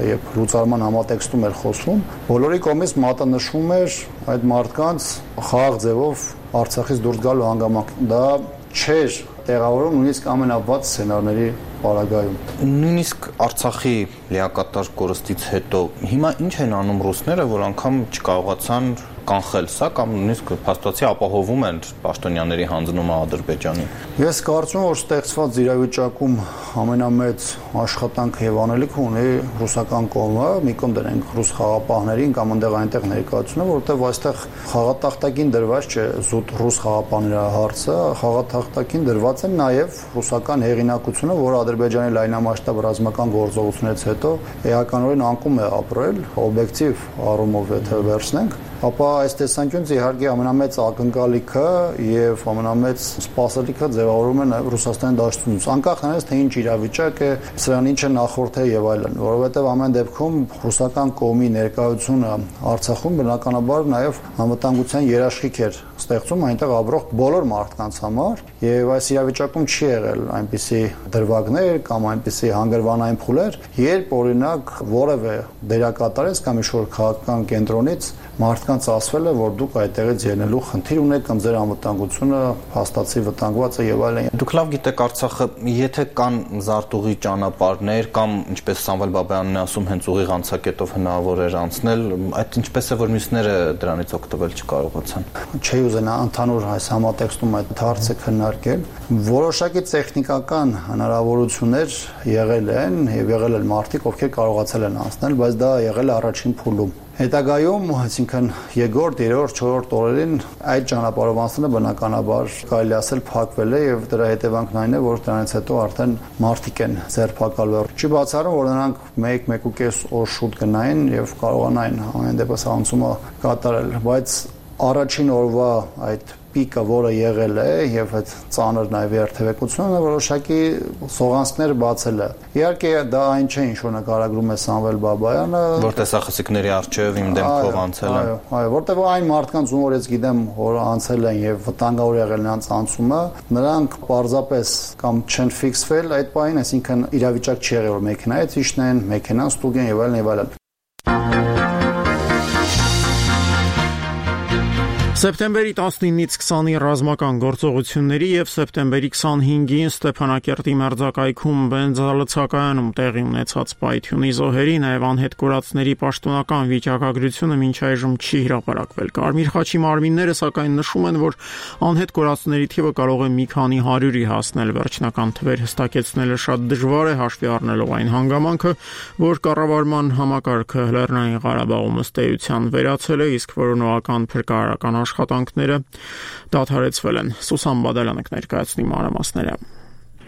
եւ լուծարման համատեքստում էր խոսվում, բոլորի կողմից մատնշվում էր այդ մարդկանց խաղաղ ձևով Արցախից դուրս գալու հանգամանք։ Դա չէր տեղավորում նույնիսկ ամենավատ սցենարների պարագայում։ Նույնիսկ Արցախի լիակատար կորստից հետո հիմա ինչ են անում ռուսները, որ անգամ չկարողացան կանխել սա կամ նույնիսկ փաստացի ապահովում են պաշտոնյաների հանձնումը Ադրբեջանին։ Ես կարծում եմ, որ ստեղծված իրավիճակում ամենամեծ աշխատանքը եւ անելիքը ունի ռուսական կողմը, մի կողմ դրենք ռուս խաղապահներին կամ այնտեղ այնտեղ ներկայացումը, որովհետեւ այստեղ խաղատախտակին դրված չէ զուտ ռուս խաղապահների հարցը, խաղատախտակին դրված է նաեւ ռուսական հեղինակությունը, որը Ադրբեջանի լայնամասշտաբ ռազմական գործողություններից հետո էականորեն անկում է ապրել, օբյեկտիվ առումով եթե վերցնենք, ապա այս տեսանկյունից իհարկե ամենամեծ ակնկալիքը եւ ամենամեծ սպասելիքը ձևավորում է նաեւ Ռուսաստանի դաշտությունից, անկախ նրանից թե ինչ իրավիճակ է, սրան ինչ է նախորդել եւ այլն, որովհետեւ ամեն դեպքում ռուսական կողմի ներկայությունը Արցախում բնականաբար նաեւ անվտանգության երաշխիք էր ստեղծում այնտեղ ապրող բոլոր մարդկանց համար եւ այս իրավիճակում չի եղել այնպիսի դրվագներ կամ այնպիսի հանգրվանային փուլեր, երբ օրինակ որևէ դերակատարից կամ ինչ-որ քաղաքական կենտրոնից մարդկանց ասվել է, որ դուք այդտեղից ելնելու խնդիր ունեք կամ ձեր անվտանգությունը հաստատի վտանգված է եւ այլն։ Դուք լավ գիտեք Արցախը, եթե կան զարտուղի ճանապարհներ կամ ինչպես Սամվել Բաբայանն է ասում, հենց ուղիղ անցակետով հնարավոր էր անցնել, այդ ինչպես է որ մյուսները դրանից օգտվել չկարողացան։ Չի ուզենա ընդհանուր այս համատեքստում այդ հարցը քննարկել։ Որոշակի տեխնիկական հնարավորություններ եղել են եւ եղել են մարդիկ, ովքեր կարողացել են անցնել, բայց դա եղել է առաջին փուլում։ Հետագայում, այսինքն երկրորդ, երրորդ, չորրորդ օրերին այդ ճանապարհով անցնելը բնականաբար կարելի ասել փակվել է եւ դրա հետևանքն այն է, որ դրանից հետո արդեն մարդիկ են ձերբակալվել։ Չի բացառում, որ նրանք մեկ-մեկ ու կես օր շուտ գնային եւ կարողանային ամեն դեպս անցումը կատարել, բայց առաջին օրվա այդ պիկը, որը եղել է եւ այդ ծանր նաեւ երթևեկությունը որոշակի սողանցքներ բացել է։ Իհարկե դա այն չէ, ինչ որ նկարագրում է Սամվել Բաբայանը, որ տեսախցիկների առջև իմ դեմքով անցել են։ Այո, այո, որտեղ այն մարդկանց ում որ ես գիտեմ, որ անցել են եւ վտանգավոր եղել նրանց անցումը, նրանք պարզապես կամ չեն ֆիքսվել այդ պահին, այսինքն իրավիճակ չի եղել, որ մեքենայից իջնեն, մեքենան ստուգեն եւ այլն եւ այլն։ Սեպտեմբերի տասնինից քսանի ռազմական գործողությունների եւ սեպտեմբերի քսանհինգին Ստեփանակերտի մերձակայքում բենզալցակայանում տեղի ունեցած պայթյունի զոհերի նաեւ անհետ կորածների պաշտոնական վիճակագրությունը մինչ այժմ չի հրապարակվել։ Կարմիր խաչի մարմինները սակայն նշում են, որ անհետ կորածների թիվը կարող է մի քանի հարյուրի հասնել։ Վերջնական թվեր հստակեցնելը շատ դժվար է հաշվի առնելով այն հանգամանքը, որ կառավարման համակարգը Լեռնային Ղարաբաղում ըստ էության վերացել է, իսկ որոնողական փրկարարական աշխատանքները դադարեցվել են։ Սուսան Բադալյանը կներկայացնի մանրամասները։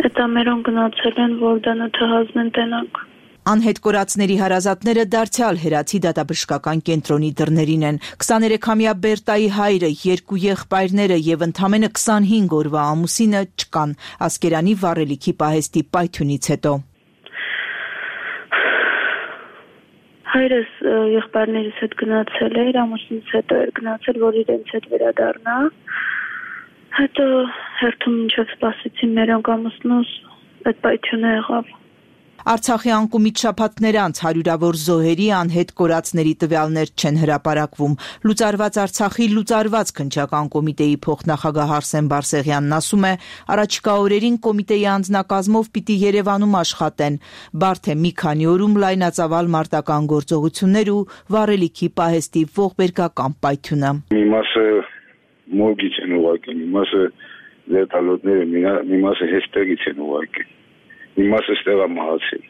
Հետամերոն գնացել են, որ դանոթը հանձնեն տենակ։ Անհետ կորածների հարազատները դարձյալ հերացի դատաբժշկական կենտրոնի դռներին են։ քսաներեքամյա Բերտայի հայրը, երկու եղբայրները եւ ընդամենը քսանհինգ օրվա ամուսինը չկան Ասկերանի վառելիքի պահեստի պայթյունից հետո։ Հայրս եղբայրներիս հետ գնացել էր, ամուսինս հետո էր գնացել, որ իրենց հետ վերադառնա։ Հետո հերթում մինչև սպասեցին մերոնք ամուսնուս այդ պայթյունը եղավ։ Արցախի անկումից շաբաթներ անց հարյուրավոր զոհերի անհետ կորածների տվյալներ չեն հրապարակվում։ Լուծարված Արցախի լուծարված քննչական կոմիտեի փոխնախագահ Արսեն Բարսեղյանն ասում է, առաջիկա օրերին կոմիտեի անձնակազմով պիտի Երևանում աշխատեն։ Բարդ է մի քանի օրում լայնածավալ մարտական գործողություններ ու վառելիքի պահեստի ողբերգական պայթյունը։ Մի մասը մորգից են ուղարկել, մի մասը վերտալոտները, մի մասը հեստերից են ուղարկել, մի մասը ստեղ է մահացել,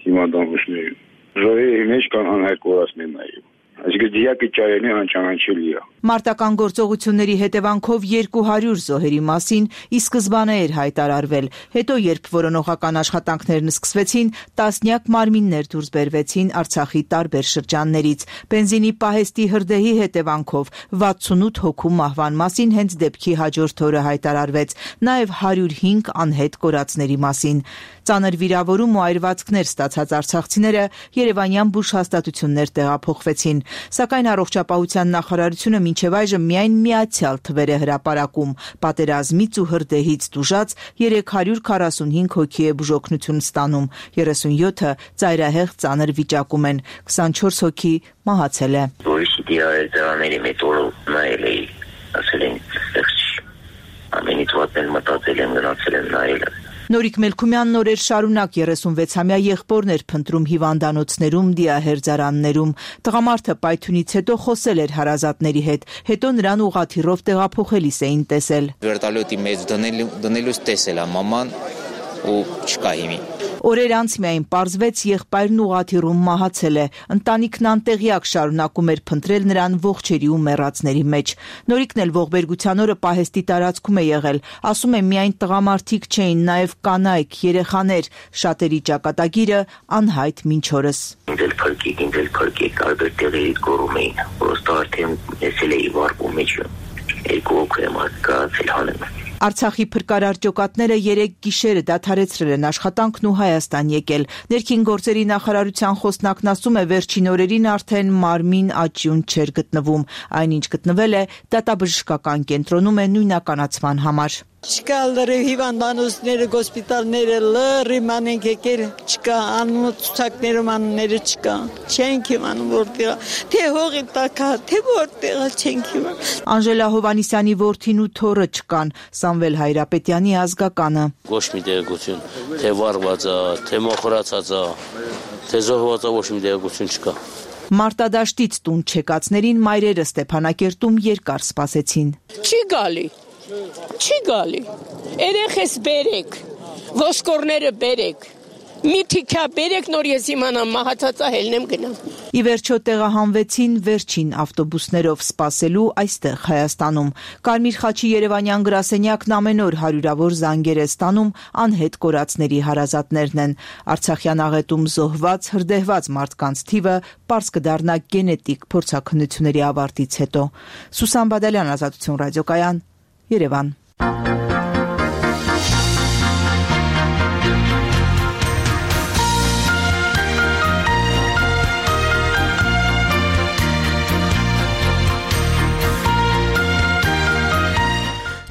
հիմա դամուշները։ Զոհերի մեջ կան անհայտ կորածներ նաև։ Այսինքն դիակի ճայերն անճանաչելի է։ Մարտական գործողությունների հետևանքով երկու հարյուր զոհերի մասին ի սկզբանե էր հայտարարվել, հետո երբ որոնողական աշխատանքներն սկսվեցին, տասնյակ մարմիններ դուրս բերվեցին Արցախի տարբեր շրջաններից։ Բենզինի պահեստի հրդեհի հետևանքով վաթսունութ հոգու մահվան մասին հենց դեպքի հաջորդ օրը հայտարարվեց, նաև հարյուր հինգ անհետ կորածների մասին։ Ծանր վիրավորում ու այրվածքներ ստացած արցախցիները երևանյան բուժհաստատություններ տեղափոխվեցին, սակայն առողջապահության նախարարությունը մինչև այժմ միայն միացյալ թվեր է հրապարակում։ Պատերազմից ու հրդեհից տուժած երեք հարյուր քառասունհինգ հոգի է բուժօգնություն ստանում, երեսունյոթը ծայրահեղ ծանր վիճակում են, քսանչորս հոգի մահացել է։ Դրաների մեթոդը նայել էի, ասել են, ամենից վատն մտածել եմ, գնացել եմ նայել։ Նորիկ Մելքումյանն օրեր շարունակ երեսունվեցամյա եղբորներ փնտրում հիվանդանոցներում, դիահերձարաններում։ Տղամարդը պայթյունից հետո խոսել էր հարազատների հետ, հետո նրան ուղղաթիռով տեղափոխելիս էին տեսել։ Վերտալյոտի մեջ դնելուց տեսել է մաման ու չկա հիմի։ Օրեր անց միայն պարզվեց եղբայրն ուղղաթիռում մահացել է։ Ընտանիքն անտեղյակ շարունակում էր փնտրել նրան ողջերի ու մեռածների մեջ։ Նորիկն էլ ողբերգության օրը պահեստի տարածքում է եղել։ Ասում է միայն տղամարդիկ չէին, նաև կանայք, երեխաներ, շատերի ճակատագիրը անհայտ մինչ օրս։ Ինձ փրկիկ, ինձ փրկիկ, տարբեր տեղերից գոռում էին, որոստա արդեն եսել էի վարկու մեջ։ Երկու օգ եմ ակացել հանեմ։ Արցախի փրկարար ջոկատները երեք գիշերը դադարեցրել են աշխատանքն ու Հայաստան եկել։ Ներքին գործերի նախարարության խոսնակն ասում է, վերջին օրերին արդեն մարմին աճյուն չէր գտնվում, այնինչ գտնվել է դատաբժշկական կենտրոնում է նույնականացման համար։ Չկա լրիվ հիվանդանոցները, հոսպիտալները լրիվ մանենք եկել, չկա անունը ցուցակներում անունները չկա։ Չենք իմանում որտեղ, թե հողի տակա, թե որտեղ չենք իմանում։ Անժելա Հովանիսյանի որդին ու թոռը չկան, Սամվել Հայրապետյանի ազգականը։ Ոչ մի տեղեկություն, թե վառված է, թե մոխրացած է, թե զոհված է, ոչ մի տեղեկություն չկա։ Մարտադաշտից տուն չեկածներին մայրերը Ստեփանակերտում երկար սպասեցին։ Չի գալի։ Չի գալի, երեխես բերեք, ոսկորները բերեք, մի թիքա բերեք, նոր ես իմանամ մահացածա հելնեմ գնամ։ Ի վերջո տեղահանվեցին վերջին ավտոբուսներով սպասելու այստեղ Հայաստանում։ Կարմիր խաչի երևանյան գրասենյակն ամեն օր հարյուրավոր զանգեր է ստանում անհետ կորածների հարազատներն են։ Արցախյան աղետում զոհված, հրդեհված մարդկանց թիվը պարզ կդառնա գենետիկ փորձաքննությունների ավարտից հետո։ Սուսան Բադալյան, Ազատություն ռադիոկայան, Երևան։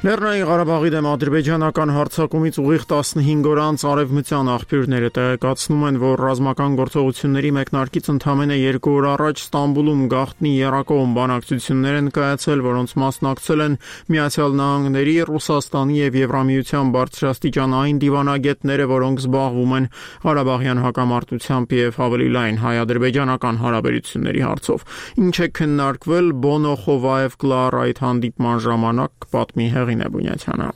Լեռնային Ղարաբաղի դեմ ադրբեջանական հարձակումից ուղիղ տասնհինգ օր անց արևմտյան աղբյուրները տեղեկացնում են, որ ռազմական գործողությունների մեկնարկից ընդամենը երկու օր առաջ Ստամբուլում գաղտնի եռակողմ բանակցություններ են կայացել, որոնց մասնակցել են Միացյալ Նահանգների, Ռուսաստանի եւ Եվրամիության բարձրաստիճան այն դիվանագետները, որոնք զբաղվում են Ղարաբաղյան հակամարտությամբ եւ ավելի լայն հայ-ադրբեջանական հարաբերությունների հարցով։ Ինչ է քննարկվել Բոնո Խովաև Կլար այդ հանդիպման ժամանակ, պատմի Նեբունյացյանը։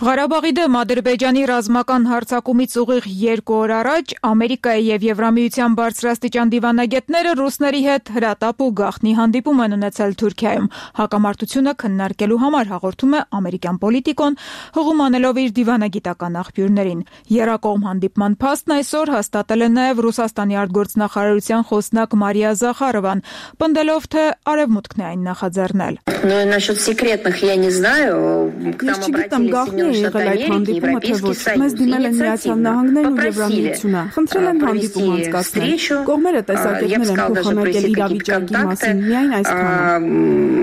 Ղարաբաղի դեմ Ադրբեջանի ռազմական հարձակումից ուղիղ երկու օր առաջ Ամերիկայի եւ Եվրամիության բարձրաստիճան դիվանագետները ռուսների հետ հրատապ ու գաղտնի հանդիպում են ունեցել Թուրքիայում։ Հակամարտությունը քննարկելու համար հաղորդում է ամերիկյան պոլիտիկոն, հղում անելով իր դիվանագիտական աղբյուրներին։ Եռակողմ հանդիպման փաստն այսօր հաստատել է նաեւ Ռուսաստանի արտգործնախարարության խոսնակ Մարիա Զախարովան, պնդելով, թե Արևմուտքն է այն նախաձեռնել։ Но насчет секретных я не знаю, к нам обратились է եղել այդ հանդիպումը, թե ոչ։ Մեզ դիմել են Միացյալ Նահանգներն ու Եվրամիությունը։ Խնդրել են հանդիպում անցկացնել։ Կողմերը տեսակետներ են փոխանակել իրավիճակի մասին, միայն այսքանը։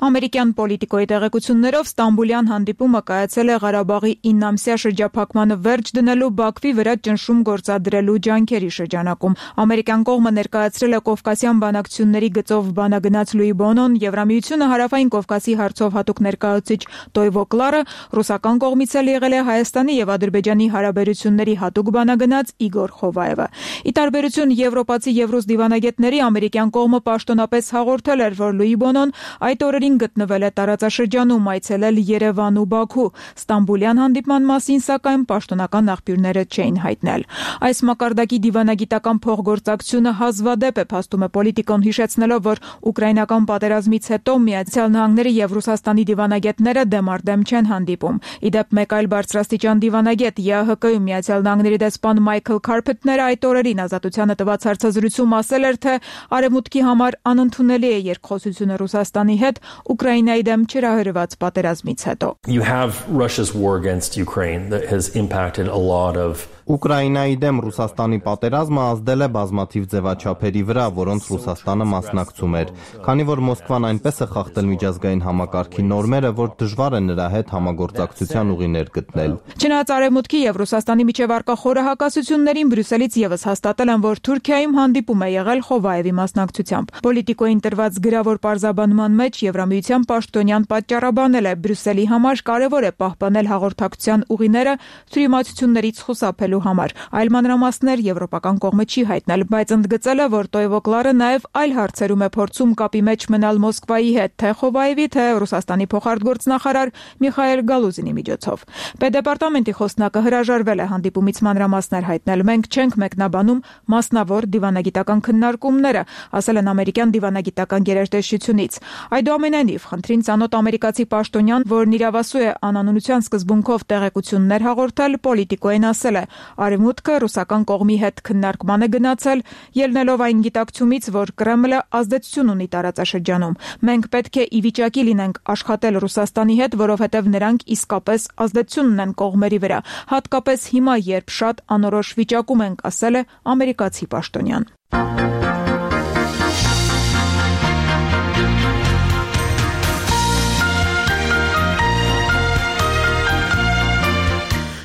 Ամերիկյան պոլիտիկոյի տեղեկություններով Ստամբուլյան հանդիպումը կայացել է Ղարաբաղի իննամսյա շրջափակմանը վերջ դնելու Բաքվի վրա ճնշում գործադրելու ջանքերի շրջանակում։ Ամերիկյան կողմը ներկայացրել է Կովկասյան բանակցությունների գծով բանագնաց Լուի Բոնոն, Եվրամիությունը հարավային Կովկասի հարցով հատուկ ներկայացուցիչ Տոյվո Կլարը, ռուսական կողմից էլ եղել է Հայաստանի եւ Ադրբեջանի հարաբերությունների հատուկ բանագնաց Իգոր Խովայևը։ Ի տարբերություն եվրոպացի եւ ռուս դիվանագետների, ամերիկյան կողմը պաշտոնապես հաղորդել էր, որ Լուի Բոնոն այդ օրերին գտնվել է տարածաշրջանում, այցելել Երևան ու Բաքու։ Ստամբուլյան հանդիպման մասին, սակայն, պաշտոնական աղբյուրները չէին հայտնել։ Այս մակարդակի դիվանագիտական փոխգործակցությունը հազվադեպ է, փաստում է Պոլիտիկոն, հիշեցնելով, որ ուկրաինական պատերազմից հետո Միացյալ Նահանգների եւ Ռուսաստանի դիվանագետները դեմարդեմ չեն հանդիպում։ Իդեպ մեկ այլ բարձրաստիճան դիվանագետ ԵԱՀԿ-ում Միացյալ Նահանգների դեսպան Մայքլ Քարփեթները այդ օրերին Ազատությանը տված հարցազրույցում ասել էր, թե Արևմուտքի համար անընդունելի է երկխոսությունը Ռուսաստանի հետ Ուկրաինայի դեմ չհրահրված պատերազմից հետո։ You have Russia's war against Ukraine that has impacted a lot of Ուկրաինայի դեմ Ռուսաստանի պատերազմը ազդել է բազմաթիվ ձևաչափերի վրա, որոնց Ռուսաստանը մասնակցում էր, քանի որ Մոսկվան այնպես է խախտել միջազգային համակարգի նորմերը, որ դժվար է նրա հետ համագործակցության ուղիներ գտնել։ Չնայած Արևմուտքի եւ Ռուսաստանի միջև առկա խորը հակասություններին, Բրյուսելից եւս հաստատել են, որ Թուրքիայում հանդիպում է եղել Խովայևի մասնակցությամբ։ Պոլիտիկոյին տրված գրավոր պարզաբանման մեջ Եվրամիության պաշտոնյան պատճառաբանել է Բրյուսելի համար կարևոր է պահպանել հաղորդակցության ուղիները թյուրիմացություններից խուսափելու համար։ Այլ մանրամասներ եվրոպական կողմը չի հայտնել, բայց ընդգծել է, որ Տոյվո Կլարը նաև այլ հարցերում է փորձում կապի մեջ մնալ Մոսկվայի հետ, թե Խովայևի, թե Ռուսաստանի փոխարտգործնախարար Միխայել Գալուզինի միջոցով։ Պետդեպարտամենտի խոսնակը հրաժարվել է հանդիպումից մանրամասներ հայտնել։ Մենք չենք մեկնաբանում մասնավոր դիվանագիտական քննարկումները, ասել են ամերիկյան դիվանագիտական գերատեսչությունից։ Այդուամենայնիվ, խնդրին ծանոթ ամերիկացի պաշտոնյան, որն իրավասու է անանունության սկզբունքով տեղեկություններ հաղորդել, Պոլիտիկոյին ասել է. Արևմուտքը ռուսական կողմի հետ քննարկման է գնացել, ելնելով այն գիտակցումից, որ Կրեմլը ազդեցություն ունի տարածաշրջանում։ Մենք պետք է ի վիճակի լինենք աշխատել Ռուսաստանի հետ, որովհետև նրանք իսկապես ազդեցություն ունեն կողմերի վրա, հատկապես հիմա, երբ շատ անորոշ վիճակում ենք, ասել է ամերիկացի պաշտոնյան։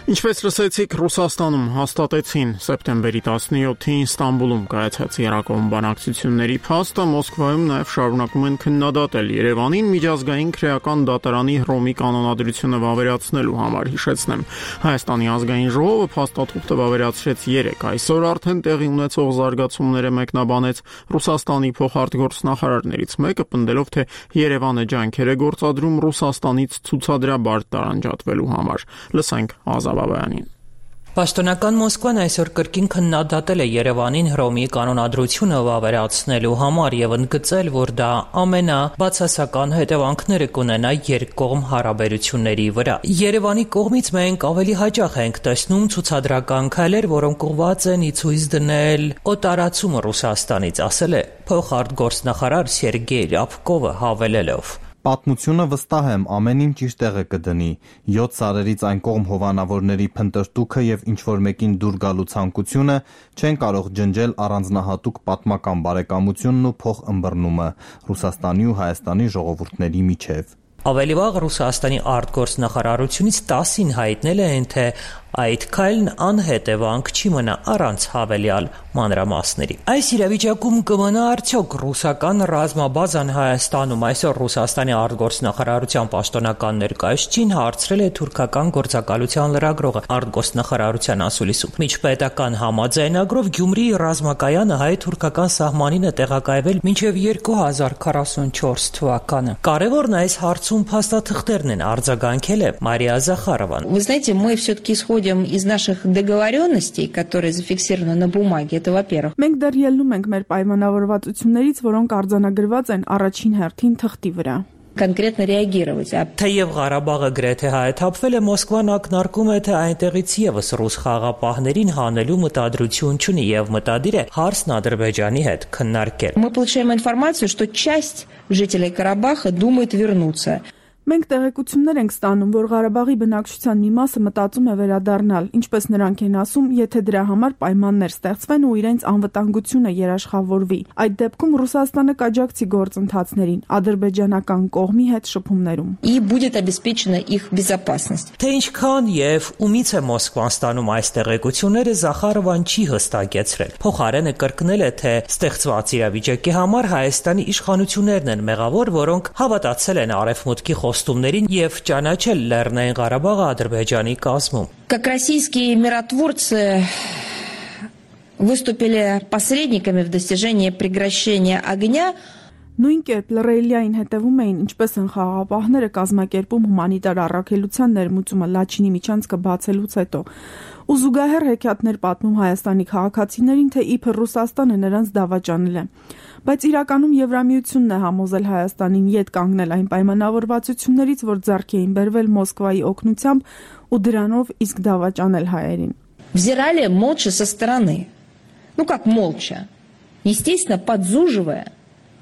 Ինչպես լսեցիք, Ռուսաստանում հաստատեցին սեպտեմբերի տասնյոթին Ստամբուլում կայացած երակոմ բանակցությունների փաստը, Մոսկվայում նաև շարունակում են քննադատել Երևանին միջազգային քրեական դատարանի Հռոմի կանոնադրությունը վավերացնելու համար, հիշեցնեմ։ Հայաստանի ազգային ժողովը փաստաթուղթը վավերացրեց երեկ, այսօր արդեն տեղի ունեցող զարգացումները մեկնաբանեց Ռուսաստանի փոխարտգործնախարարներից մեկը, պնդելով, թե Երևանը ջանքեր է գործադրում Ռուսաստանից ցուցադրաբար տարանջատվելու համար։ Լսենք Ազատ Բաբայանին։ Պաշտոնական Մոսկվան այսօր կրկին քննադատել է Երևանին Հռոմի կանոնադրությունը վավերացնելու համար եւ ընդգծել, որ դա ամենաբացասական հետևանքները կունենա երկկողմ հարաբերությունների վրա։ Երևանի կողմից մենք ավելի հաճախ ենք տեսնում ցուցադրական քայլեր, որոնք ուղղված են ի ցույց դնել օտարացումը Ռուսաստանից, ասել է փոխարտգործնախարար Սերգեյ Ռябկովը հավելելով. Պատմությունը վստահ եմ ամեն ինչ իր տեղը կդնի։ յոթ սարերից այն կողմ հովանավորների փնտրտուքը եւ ինչ որ մեկին դուր գալու ցանկությունը չեն կարող ջնջել առանձնահատուկ պատմական բարեկամությունն ու փոխըմբռնումը Ռուսաստանի ու Հայաստանի ժողովուրդների միջև։ Ավելի վաղ Ռուսաստանի արտգործնախարարությունից տասին հայտնել են, թե այդ քայլն անհետևանք չի մնա առանց հավելյալ մանրամասների։ Այս իրավիճակում կմնա արդյոք ռուսական ռազմաբազան Հայաստանում, այսօր Ռուսաստանի արտգործնախարարության պաշտոնական ներկայացուցիչին հարցրել է թուրքական գործակալության լրագրողը արտգործնախարարության ասուլիսում։ Միջպետական համաձայնագրով Գյումրիի ռազմակայանը հայ-թուրքական սահմանին է տեղակայվել մինչև երկու հազար քառասունչորս թվականը։ Կարևորն այս հարցում փաստաթղթերն են, արձագանքել է Մարիա Զախարովան։ Вы знаете, мы все-таки исходим из наших договоренностей, которые зафиксированы на бумаге, это во-первых. Մենք դեռ ելնում ենք մեր պայմանավորվածություններից, որոնք արձանագրված են առաջին հերթին թղթի վրա։ Конкретно реагировать. Թեև Ղարաբաղը գրեթե հայթափվել է, Մոսկվան ակնարկում է, թե այնտեղից եւս ռուս խաղապահներին հանելու մտադրություն չունի եւ մտադիր է հարցն Ադրբեջանի հետ քննարկել։ Мы получаем информацию, что часть жителей Карабаха думает вернуться. Մենք տեղեկություններ ենք ստանում, որ Ղարաբաղի բնակչության մի մասը մտածում է վերադառնալ, ինչպես նրանք են ասում, եթե դրա համար պայմաններ ստեղծվեն ու իրենց անվտանգությունը երաշխավորվի։ Այդ դեպքում Ռուսաստանը կաջակցի գործընթացներին ադրբեջանական կողմի հետ շփումներում։ И будет обеспечена их безопасность. Թե ինչքան եւ ումից է Մոսկվան ստանում այս տեղեկությունները, Զախարովան չի հստակեցրել։ Փոխարենը կրկնել է, թե ստեղծված իրավիճակի համար Հայաստանի իշխանություններն են մեղավոր, որոնք հավատացել են Արևմուտքի խոստումներին եւ ճանաչել Լեռնային Ղարաբաղը Ադրբեջանի կազմում։ Как российские миротворцы выступили посредниками в достижении прекращения огня. Նույն կերպ Լռելիային հետևում էին, ինչպես են խաղաղապահները կազմակերպում հումանիտար առաքելության ներմուծումը Լաչինի միջանցքը բացելուց հետո։ Ու զուգահեռ հեքիաթներ պատմում Հայաստանի քաղաքացիներին, թե իբր Ռուսաստանը նրանց դավաճանել է։ Բայց իրականում Եվրամիությունն է համոզել Հայաստանին յետ կանգնել այն պայմանավորվածություններից, որ ձեռք էին բերվել Մոսկվայի օգնությամբ ու դրանով իսկ դավաճանել հայերին։ Взирали молча со стороны. Ну как молча? Естественно, подзуживая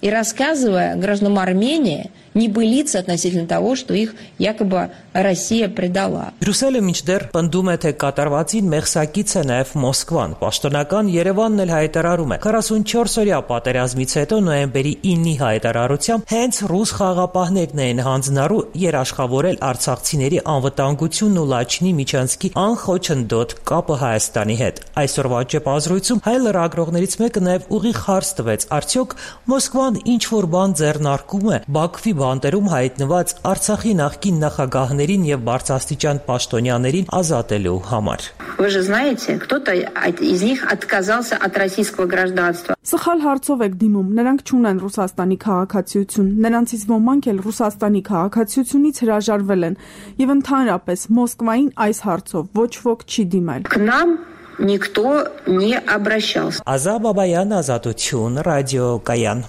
и рассказывая гражданам Армении небылицы относительно того, что их якобы Россия предала. Բրյուսելը մինչդեռ պնդում է, թե կատարվածին մեղսակից է նաև Մոսկվան։ Պաշտոնական Երևանն էլ հայտարարում է. քառասունչորս օրյա պատերազմից հետո նոյեմբերի իննի հայտարարությամբ հենց ռուս խաղաղապահներն էին հանձնառու երաշխավորել արցախցիների անվտանգությունն ու Լաչինի միջանցքի անխոչնդոտ կապը Հայաստանի հետ։ Այսօրվա ճեպազրույցում հայ լրագրողներից մեկը նաև ուղիղ հարց տվեց. արդյոք Մոսկվան ինչ որ բան ձեռնարկում է Բաքվի բանտերում հայտնված Արցախի նախկին նախագահներին եւ բարձրաստիճան պաշտոնյաներին ազատելու համար։ Вы же знаете, кто-то из них отказался от российского гражданства. Սխալ հարցով եք դիմում, նրանք չունեն Ռուսաստանի քաղաքացիություն, նրանցից ոմանք էլ Ռուսաստանի քաղաքացիությունից հրաժարվել են եւ ընդհանրապես Մոսկվային այս հարցով ոչ ոք չի դիմել։ К нам никто не обращался. Ազա Բաբայան, Ազատություն, ռադիո Կայան։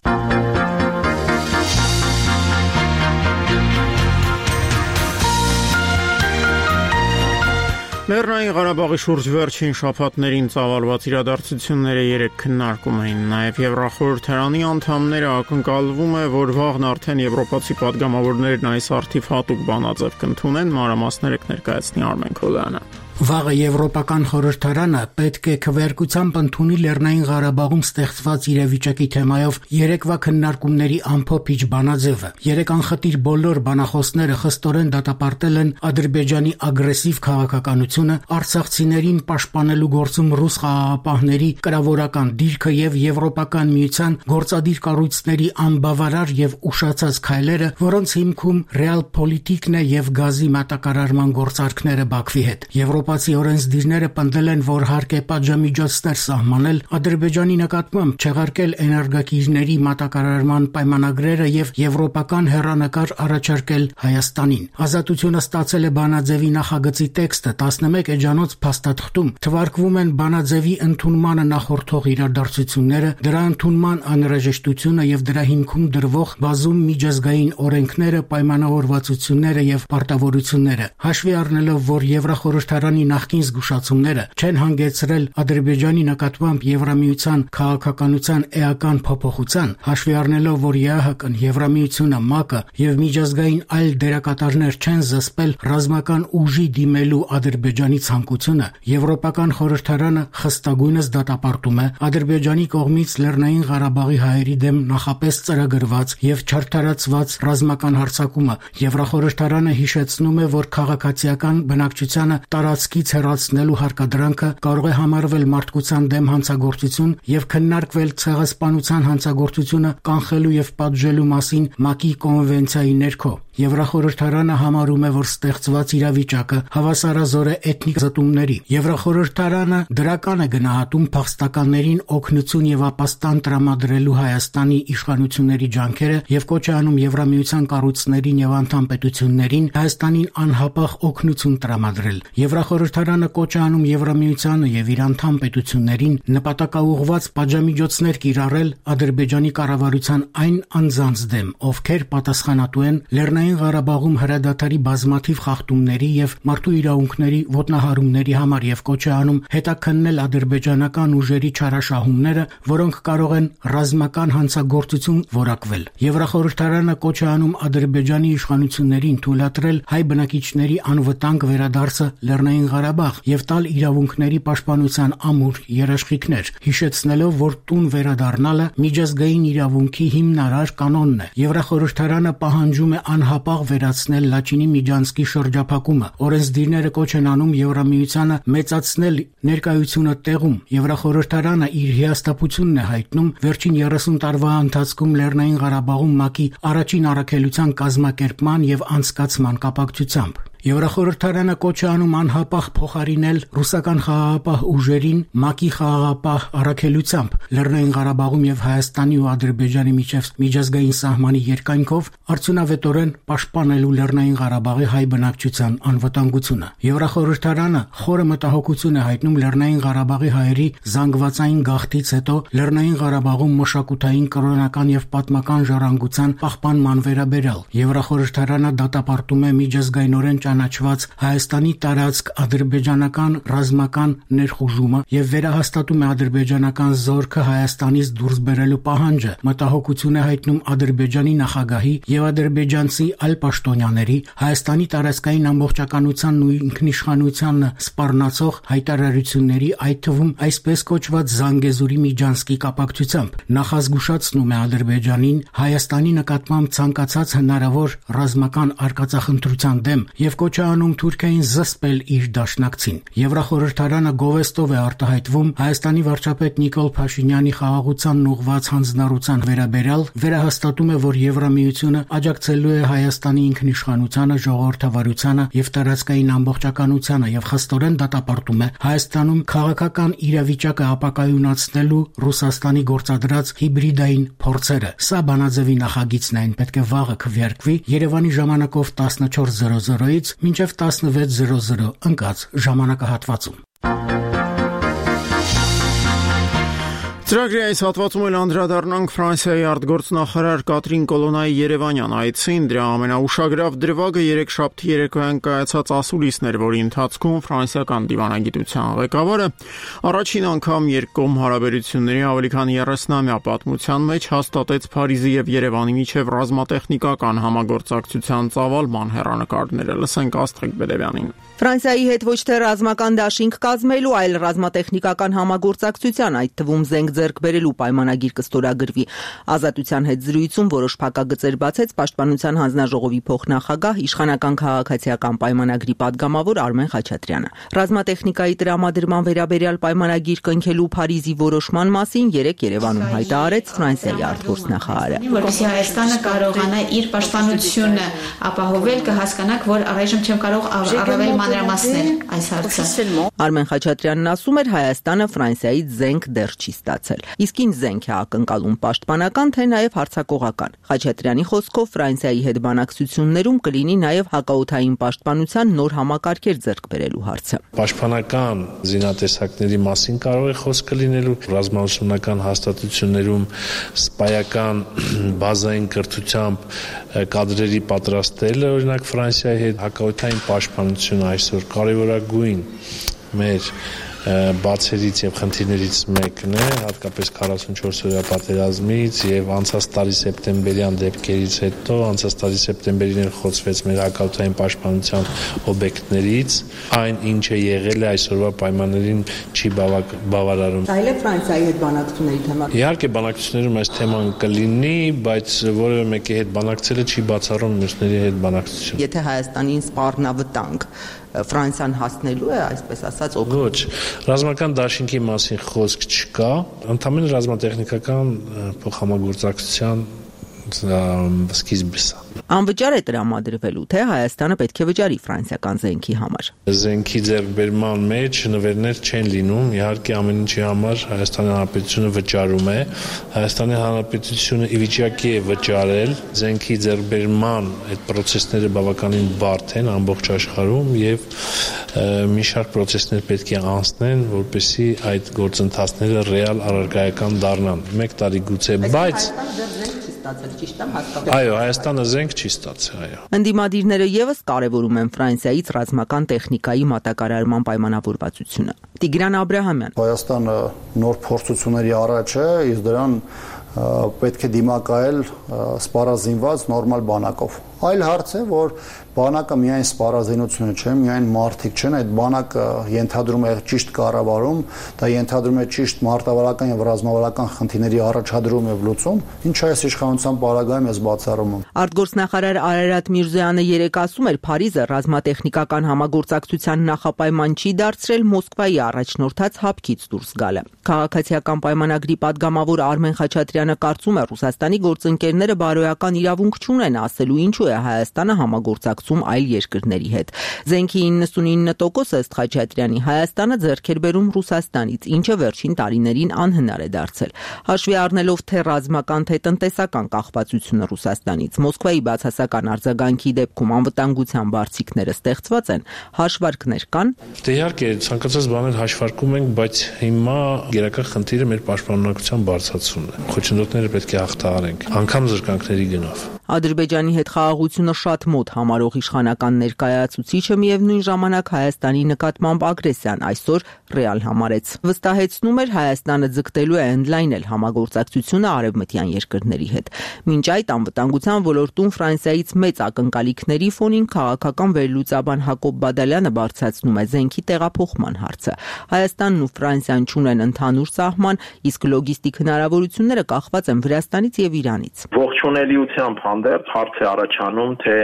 Լեռնային Ղարաբաղի շուրջ վերջին շաբաթներին ծավալված իրադարձությունները երեք քննարկում էին, նաև Եվրախորհրդարանի անդամները ակնկալվում է, որ վաղն արդեն եվրոպացի падգամավորներն այս արդիվ հատուկ բանաձև կընդունեն, մանրամասները կներկայացնի Արմեն Քոլյանը։ Վաղը Եվրոպական խորհրդարանը պետք է քվեարկությամբ ընդունի Լեռնային Ղարաբաղում ստեղծված իրավիճակի թեմայով երեկվա քննարկումների ամփոփիչ բանաձևը։ Երեք անխտիր բոլոր բանախոսները խստորեն դատապարտել են Ադրբեջանի ագրեսիվ քաղաքականությունը, արցախցիներին պաշտպանելու գործում ռուս խաղաղապահների կրավորական դիրքը եւ Եվրոպական միության գործադիր կառույցների անբավարար եւ ուշացած քայլերը, որոնց հիմքում ռեալպոլիտիկն է եւ գազի մատակարարման գործարքները Բաքվի հետ։ Եվրոպացի օրենսդիրները պնդել են, որ հարկ է պատժամիջոցներ սահմանել Ադրբեջանի նկատմամբ, չեղարկել էներգակիրների մատակարարման պայմանագրերը եւ եվրոպական հեռանկար առաջարկել Հայաստանին։ Ազատությունը ստացել է բանաձևի նախագծի տեքստը տասնմեկ էջանոց փաստաթղթում թվարկվում են բանաձևի ընդունմանը նախորդող իրադարձությունները, դրա ընդունման անհրաժեշտությունը եւ դրա հիմքում դրվող բազում միջազգային օրենքները, պայմանավորվածությունները եւ պարտավորությունները։ Հաշվի առնելով, որ Եվրախորհրդարանի նախկին զգուշացումները չեն հանգեցրել Ադրբեջանի նկատմամբ Եվրամիության քաղաքականության էական փոփոխության, հաշվի առնելով, որ ԵԱՀԿ-ն, Եվրամիությունը, ՄԱԿ-ը եւ միջազգային այլ դերակատարներ չեն զսպել ռազմական ուժի դիմելու Ադրբեջանի ցանկությունը, Եվրոպական խորհրդարանը խստագույնս դատապարտում է Ադրբեջանի կողմից Լեռնային Ղարաբաղի հայերի դեմ նախապես ծրագրված եւ չարթարացված ռազմական հարձակումը։ Եվրախորհրդարանը հիշեցնում է, որ քաղաքացիական բնակչությանը տարածքից հեռացնելու հարկադրանքը կարող է համարվել մարդկության դեմ հանցագործություն եւ քննարկվել ցեղասպանության հանցագործությունը կանխելու եւ պատժելու մասին ՄԱԿ-ի կոնվենցիայի ներքո։ Եվրախորհրդարանը համարում է, որ ստեղծված իրավիճակը հավասարազոր է էթնիկ զտումների։ Եվրախորհրդարանը դրական է գնահատում փախստականներին օգնություն եւ ապաստան տրամադրելու Հայաստանի իշխանությունների ջանքերը եւ կոչ է անում Եվրամիության կառույցներին եւ անդամ պետություններին Հայաստանին անհապաղ օգնություն տրամադրել։ Եվրախորհրդարանը կոչ է անում Եվրամիությանը եւ իր անդամ պետություններին նպատակաուղղված պատժամիջոցներ կիրառել Ադրբեջանի կառավարության այն անձանց դեմ, ովքեր պատասխանատու են Լեռնային Լեռնային Ղարաբաղում հրադադարի բազմաթիվ խախտումների եւ մարդու իրավունքների ոտնահարումների համար եւ կոչ է անում հետաքննել ադրբեջանական ուժերի չարաշահումները, որոնք կարող են ռազմական հանցագործություն որակվել։ Եվրախորհրդարանը կոչ է անում Ադրբեջանի իշխանություններին թույլատրել հայ բնակիչների անվտանգ վերադարձը Լեռնային Ղարաբաղ եւ տալ իրավունքների պաշտպանության ամուր երաշխիքներ, հիշեցնելով, որ տուն վերադառնալը միջազգային իրավունքի հիմնարար կանոնն է։ Եվրախորհրդարանը պահանջում է անհապաղ վերացնել Լաչինի Միջանցքի շրջափակումը։ Օրենսդիրները կոչ են անում Եվրամիությանը մեծացնել ներկայությունը տեղում։ Եվրախորհրդարանը իր հիասթափությունն է հայտնում վերջին երեսուն տարվա ընթացքում Լեռնային Ղարաբաղում ՄԱԿ-ի առաջին առաքելության կազմակերպման եւ անցկացման կապակցությամբ։ Եվրախորհրդարանը կոչ է անում անհապաղ փոխարինել ռուսական խաղաղապահ ուժերին ՄԱԿ-ի խաղաղապահ առաքելությամբ Լեռնային Ղարաբաղում եւ Հայաստանի ու Ադրբեջանի միջև միջազգային սահմանի երկայնքով արդյունավետորեն պաշտպանելու Լեռնային Ղարաբաղի հայ բնակչության անվտանգությունը։ Եվրախորհրդարանը խորը մտահոգություն է հայտնում Լեռնային Ղարաբաղի հայերի զանգվածային գաղթից հետո Լեռնային Ղարաբաղում մշակութային, կրոնական եւ պատմական ժառանգության պահպանման վերաբերյալ։ Եվրախորհրդարանը դատապարտում է միջազգայինորեն ճանաչված Հայաստանի տարածք ադրբեջանական ռազմական ներխուժումը եւ վերահաստատում է ադրբեջանական զորքը Հայաստանից դուրս բերելու պահանջը։ Մտահոգություն է հայտնում Ադրբեջանի նախագահի եւ ադրբեջանցի այլ պաշտոնյաների Հայաստանի տարածքային ամբողջականությանն ու ինքնիշխանությանն սպառնացող հայտարարությունների, այդ թվում այսպես կոչված Զանգեզուրի Միջանցքի կապակցությամբ։ Նախազգուշացնում է Ադրբեջանին Հայաստանի նկատմամբ ցանկացած հնարավոր ռազմական արկածախնդրության դեմ եւ կոչ է անում Թուրքիային զսպել իր դաշնակցին։ Եվրախորհրդարանը գովեստով է արտահայտվում Հայաստանի վարչապետ Նիկոլ Փաշինյանի խաղաղությանն ուղղված հանձնառության վերաբերյալ, վերահաստատում է, որ Եվրամիությունը աջակցելու է Հայաստանի ինքնիշխանությանը, ժողովրդավարությանը եւ տարածքային ամբողջականությանը եւ խստորեն դատապարտում է Հայաստանում քաղաքական իրավիճակը ապակայունացնելու Ռուսաստանի գործադրած հիբրիդային փորձերը։ Սա բանաձևի նախագիծն է, այն պետք է վաղը քվեարկվի Երևանի ժամանակով տասնչորս զրո զրոից մինչև տասնվեց զրո զրո ընկած ժամանակահատվածում։ Ծրագրի այս հատվածում էլ անդրադառնանք Ֆրանսիայի արտգործնախարար Կատրին Կոլոնայի երևանյան այցին։ Դրա ամենաուշագրավ դրվագը երեքշաբթի երեկոյան կայացած ասուլիսն էր, որի ընթացքում ֆրանսիական դիվանագիտության ղեկավարը առաջին անգամ երկկողմ հարաբերությունների ավելի քան երեսնամյա պատմության մեջ հաստատեց Փարիզի եւ Երևանի միջև ռազմատեխնիկական համագործակցության ծավալման հեռանկարները։ Լսենք Աստղիկ Բեդևյանին։ Ֆրանսիայի հետ ոչ թե ռազմական դաշինք կազմելու, այլ ռազմատեխնիկական համագործակցության, այդ թվում զենք ձեռք բերելու պայմանագիր կստորագրվի։ Ազատության հետ զրույցում որոշ փակագծեր բացեց Պաշտպանության հանձնաժողովի փոխնախագահ, իշխանական քաղաքացիական պայմանագրի падգամավոր Արմեն Խաչատրյանը։ Ռազմատեխնիկայի տրամադրման վերաբերյալ պայմանագիր կնքելու Փարիզի որոշման մասին երեկ Երևանում հայտարարեց Ֆրանսիայի արտգործնախարարը։ Որպեսզի Հայաստանը կարողանա իր պաշտպանությունը ապահովել, կհասկանաք, որ առայժմ չեմ կարող առավել մանրամասնել այս հարցը։ Արմեն Խաչատրյանն ասում էր, Հայաստանը Ֆրանսիայից զենք դեռ չի ստացել։ Իսկ ինչ զենք է ակնկալում, պաշտպանական, թե նաև հարձակողական։ Խաչատրյանի խոսքով Ֆրանսիայի հետ բանակցություններում կլինի նաև հակաօդային պաշտպանության նոր համակարգեր ձեռք բերելու հարցը։ Պաշտպանական զինատեսակների մասին կարող է խոսքը լինելու, ռազմաուսումնական հաստատություններում սպայական բազային կրթությամբ կադրերի պատրաստելը, օրինակ Ֆրանսիայի հետ հակաօդային պաշտպանությունը այսօր կարևորագույն մեր բացերից եւ խնդիրներից մեկն է, հատկապես քառասունչորս օրյա պատերազմից եւ անցած տարի սեպտեմբերյան դեպքերից հետո, անցած տարի սեպտեմբերին խոցվեց մեր հակաօդային պաշտպանության օբյեկտներից, այն ինչը եղել է այսօրվա պայմաններին չի բավարարում։ Այլ է Ֆրանսիայի հետ բանակցությունների թեման։ Իհարկե բանակցություններում այս թեման կլինի, բայց որևէ մեկի հետ բանակցելը չի բացառում մյուսների հետ բանակցություն։ Եթե Հայաստանին սպառնավտանգ Ֆրանսիան հասնելու է, այսպես ասած, ոչ, ռազմական դաշինքի մասին խոսք չկա, ընդհանրապես ռազմատեխնիկական փոխհամագործակցության սկիզբը սա։ Անվճար է տրամադրվելու, թե Հայաստանը պետք է վճարի ֆրանսիական զենքի համար։ Զենքի ձեռքբերման մեջ նվերներ չեն լինում, իհարկե ամեն ինչի համար Հայաստանի Հանրապետությունը վճարում է։ Հայաստանի Հանրապետությունը ի վիճակի է վճարել, զենքի ձեռքբերման այդ process-ները բավականին բարդ են ամբողջ աշխարհում եւ մի շարք process-ներ պետք է անցնեն, որպեսզի այդ գործընթացները ռեալ առարկայական դառնան։ Մեկ տարի գուցե, բայց ստացել, ճիշտ է, հատկապես։ Այո, Հայաստանը զենք չի ստացել, այո։ Ընդդիմադիրները եւս կարևորում են Ֆրանսիայից ռազմական տեխնիկայի մատակարարման պայմանավորվածությունը։ Տիգրան Աբրահամյան։ Հայաստանը նոր փորձությունների առաջ է, իսկ դրան պետք է դիմակայել սպառազինված նորմալ բանակով։ Այլ հարց է, որ բանակը միայն սպառազինությունը չէ, միայն մարդիկ չեն, այդ բանակը ենթադրում է ճիշտ կառավարում, դա ենթադրում է ճիշտ մարտավարական եւ ռազմավարական խնդիրների առաջադրում եւ լուծում, ինչը այս իշխանության պարագայում ես բացառում եմ։ Արտգործնախարար Արարատ Միրզոյանը երեկ ասում էր, Փարիզը ռազմատեխնիկական համագործակցության նախապայման չի դարձրել Մոսկվայի առաջնորդած հապկից դուրս գալը։ Քաղաքացիական պայմանագրի падգամավոր Արմեն Խաչատրյանը կարծում է, Ռուսաստանի գործընկերները բարոյական իրավունք չունեն ասելու ինչու է Հայաստանը համագործակցում այլ երկրների հետ։ Զենքի իննսունինը տոկոսը ըստ Խաչատրյանի Հայաստանը ձեռք էր բերում Ռուսաստանից, ինչը վերջին տարիներին անհնար է դարձել։ Հաշվի առնելով թե ռազմական, թե տնտեսական կախվածությունը Ռուսաստանից, Մոսկվայի բացասական արձագանքի դեպքում անվտանգության բարձիկները ստեղծված են, հաշվարկներ կան։ Դե իհարկե, ցանկացած բաներ հաշվարկում ենք, բայց հիմա գերական խնդիրը մեր պաշտպանողության բարձրացումն է։ Խոչընդոտները պետք է հաղթահարենք, անգամ զրկանքների գնով։ Ադրբեջանի հետ խաղաղությունը շատ մոտ համարող իշխանական ներկայացուցիչը միևնույն ժամանակ Հայաստանի նկատմամբ ագրեսիան այսօր ռեալ համարեց։ Վստահեցնում էր Հայաստանը ձգտելու է ընդլայնել համագործակցությունը արևմտյան երկրների հետ։ Մինչ այդ անվտանգության ոլորտում Ֆրանսիայից մեծ ակնկալիքների ֆոնին քաղաքական վերլուծաբան Հակոբ Բադալյանը բարձրացնում է զենքի տեղափոխման հարցը։ Հայաստանն ու Ֆրանսիան չունեն ընդհանուր սահման, իսկ լոգիստիկ հնարավորությունները կախված են Վրաստանից եւ Իրանից։ Ողջունելիությամբ հանդերձ հարց է առաջանում, թե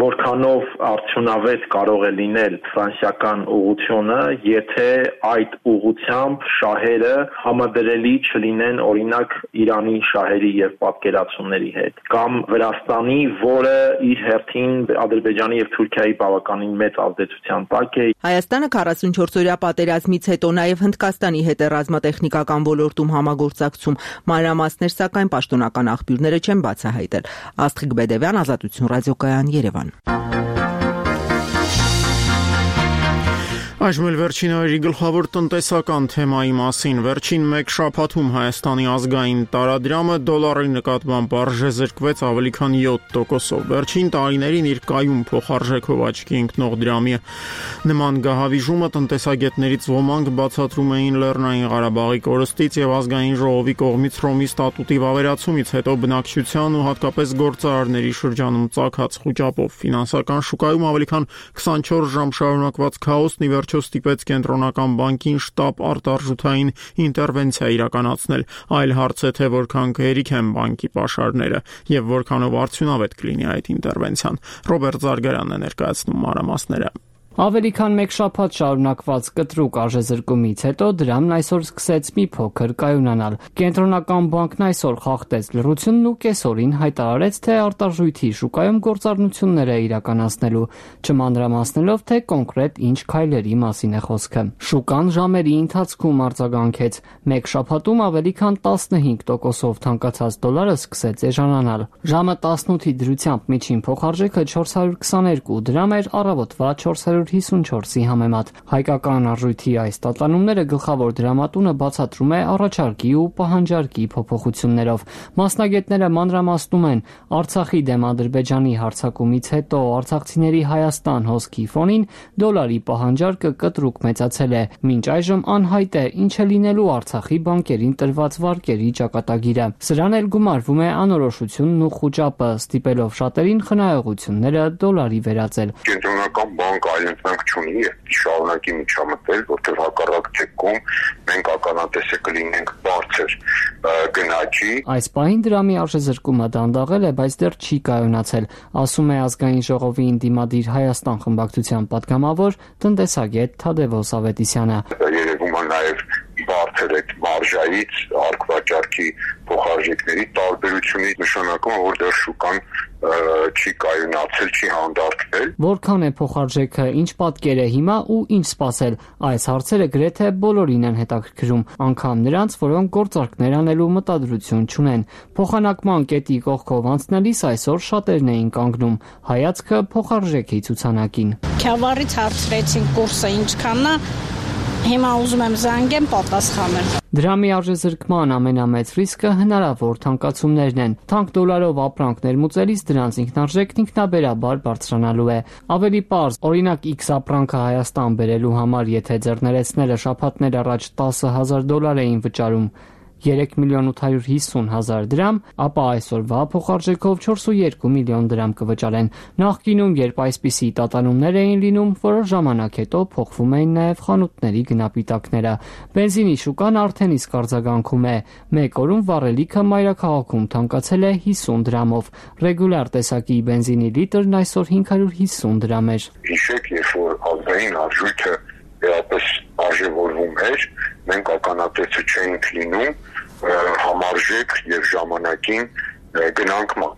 որքանով արդյունավետ կարող է լինել ֆրանսիական ուղղությունը, եթե այդ ուղղությամբ շահերը համադրելի չլինեն օրինակ Իրանի շահերի եւ պատկերացումների հետ, կամ Վրաստանի, որը իր հերթին Ադրբեջանի եւ Թուրքիայի բավականին մեծ ազդեցության տակ է։ Հայաստանը քառասունչորս-օրյա պատերազմից հետո նաեւ Հնդկաստանի հետ է ռազմատեխնիկական ոլորտում համագործակցում։ Մանրամասներ սակայն պաշտոնական աղբյուրները չեն բացահայտել։ Աստղիկ Բեդևյան, Ազատություն ռադիոկայան, Երևան։ Այժմ էլ վերջին օրերի գլխավոր տնտեսական թեմայի մասին։ Վերջին մեկ շաբաթում Հայաստանի ազգային տարադրամը դոլարի նկատմամբ արժեզրկվեց ավելի քան յոթ տոկոսով։ Վերջին տարիներին իր կայուն փոխարժեքով աչքի ընկնող դրամի նման գահավիժումը տնտեսագետներից ոմանք բացատրում էին Լեռնային Ղարաբաղի կորստից եւ ազգային ժողովի կողմից Հռոմի ստատուտի վավերացումից հետո բնակչության ու հատկապես գործարարների շրջանում ծագած խուճապով։ Ֆինանսական շուկայում ավելի քան քսանչորս ժամ շարունակված քաոսն ի վերջո ստիպեց կենտրոնական բանկին շտապ արտարժութային ինտերվենցիա իրականացնել։ Այլ հարց է, թե որքան գերիք են բանկի պաշարները եւ որքանով արդյունավետ կլինի այդ ինտերվենցիան։ Ռոբերտ Զարգարյանն է ներկայացնում մանրամասները։ Ավելի քան մեկ շաբաթ շարունակված կտրուկ արժեզրկումից հետո դրամն այսօր սկսեց մի փոքր կայունանալ։ Կենտրոնական բանկն այսօր խախտեց լռությունն ու կեսօրին հայտարարեց, թե արտարժույթի շուկայում գործառնություններ է իրականացնելու, չմանրամասնելով, թե կոնկրետ ինչ քայլերի մասին է խոսքը։ Շուկան ժամերի ընթացքում արձագանքեց։ Մեկ շաբաթում ավելի քան տասնհինգ տոկոսով թանկացած դոլարը սկսեց էժանանալ։ Ժամը տասնութի դրությամբ միջին փոխարժեքը չորս հարյուր քսաներկու դրամ էր, առավոտվա չորս հարյուր հիսունչորսի համեմատ։ Հայկական արժույթի այս տատանումները գլխավոր դրամատունը բացատրում է առաջարկի ու պահանջարկի փոփոխություններով։ Մասնագետները մանրամասնում են, Արցախի դեմ Ադրբեջանի հարձակումից հետո արցախցիների Հայաստան հոսքի ֆոնին դոլարի պահանջարկը կտրուկ մեծացել է։ Մինչ այժմ անհայտ է ինչ է լինելու Արցախի բանկերին տրված վարկերի ճակատագիրը։ Սրան էլ գումարվում է անորոշությունն ու խուճապը, ստիպելով շատերին խնայողությունները դոլարի վերածել։ Կենտրոնական բանկը այլընտրանք չունի եւ շարունակի միջամտել, որտեղ հակառակ դեպքում մենք ականատեսը կլինենք բարձր գնաճի։ Այս պահին դրամի արժեզրկումը դանդաղել է, բայց դեռ չի կայունացել, ասում է ազգային ժողովի ընդդիմադիր Հայաստան խմբակցության պատգամավոր տնտեսագետ Թադևոս Ավետիսյանը։ Երևում է նաեւ բարձր այդ մարժայից արկվաճառքի փոխարժեքների տարբերությունից նշանակում է, որ դեռ շուկան չի կայունացել, չի հանդարտվել։ Որքան է փոխարժեքը, ինչ պատկեր է հիմա ու ինչ սպասել, այս հարցերը գրեթե բոլորին են հետաքրքրում, անգամ նրանց, որոնք գործարքներ անելու մտադրություն չունեն։ Փոխանակման կետի կողքով անցնելիս այսօր շատերն էին կանգնում, հայացքը փոխարժեքի ցուցանակին։ Քյավառից հարցրեցին կուրսը ինչքանն է, Հիմա ուզում եմ զանգեմ, պատասխանել։ Դրամի արժեզրկման ամենամեծ ռիսկը հնարավոր թանկացումներն են։ Թանկ դոլարով ապրանք ներմուծելիս դրանց ինքնարժեքն ինքնաբերաբար բարձրանալու է։ Ավելի պարզ, օրինակ X ապրանքը Հայաստան բերելու համար, եթե ձեռներեցնելը շաբաթներ առաջ տասը հազար դոլար էին վճարում, երեք միլիոն ութ հարյուր հիսուն հազար դրամ, ապա այսօրվա փոխարժեքով չորս ու երկու միլիոն դրամ կվճարեն։ Նախկինում, երբ այսպիսի տատանումներ էին լինում, որոշ ժամանակ հետո փոխվում էին նաև խանութների գնապիտակները։ Բենզինի շուկան արդեն իսկ արձագանքում է։ Մեկ օրում վառելիքը մայրաքաղաքում թանկացել է հիսուն դրամով։ Ռեգուլար տեսակի բենզինի լիտրն այսօր հինգ հարյուր հիսուն դրամ էր։ Հիշեք, երբ որ ազգային արժույթը վերապես արժևորվում էր, մենք ականատեսը չէինք լինում համարժեք եւ ժամանակին գնանքման,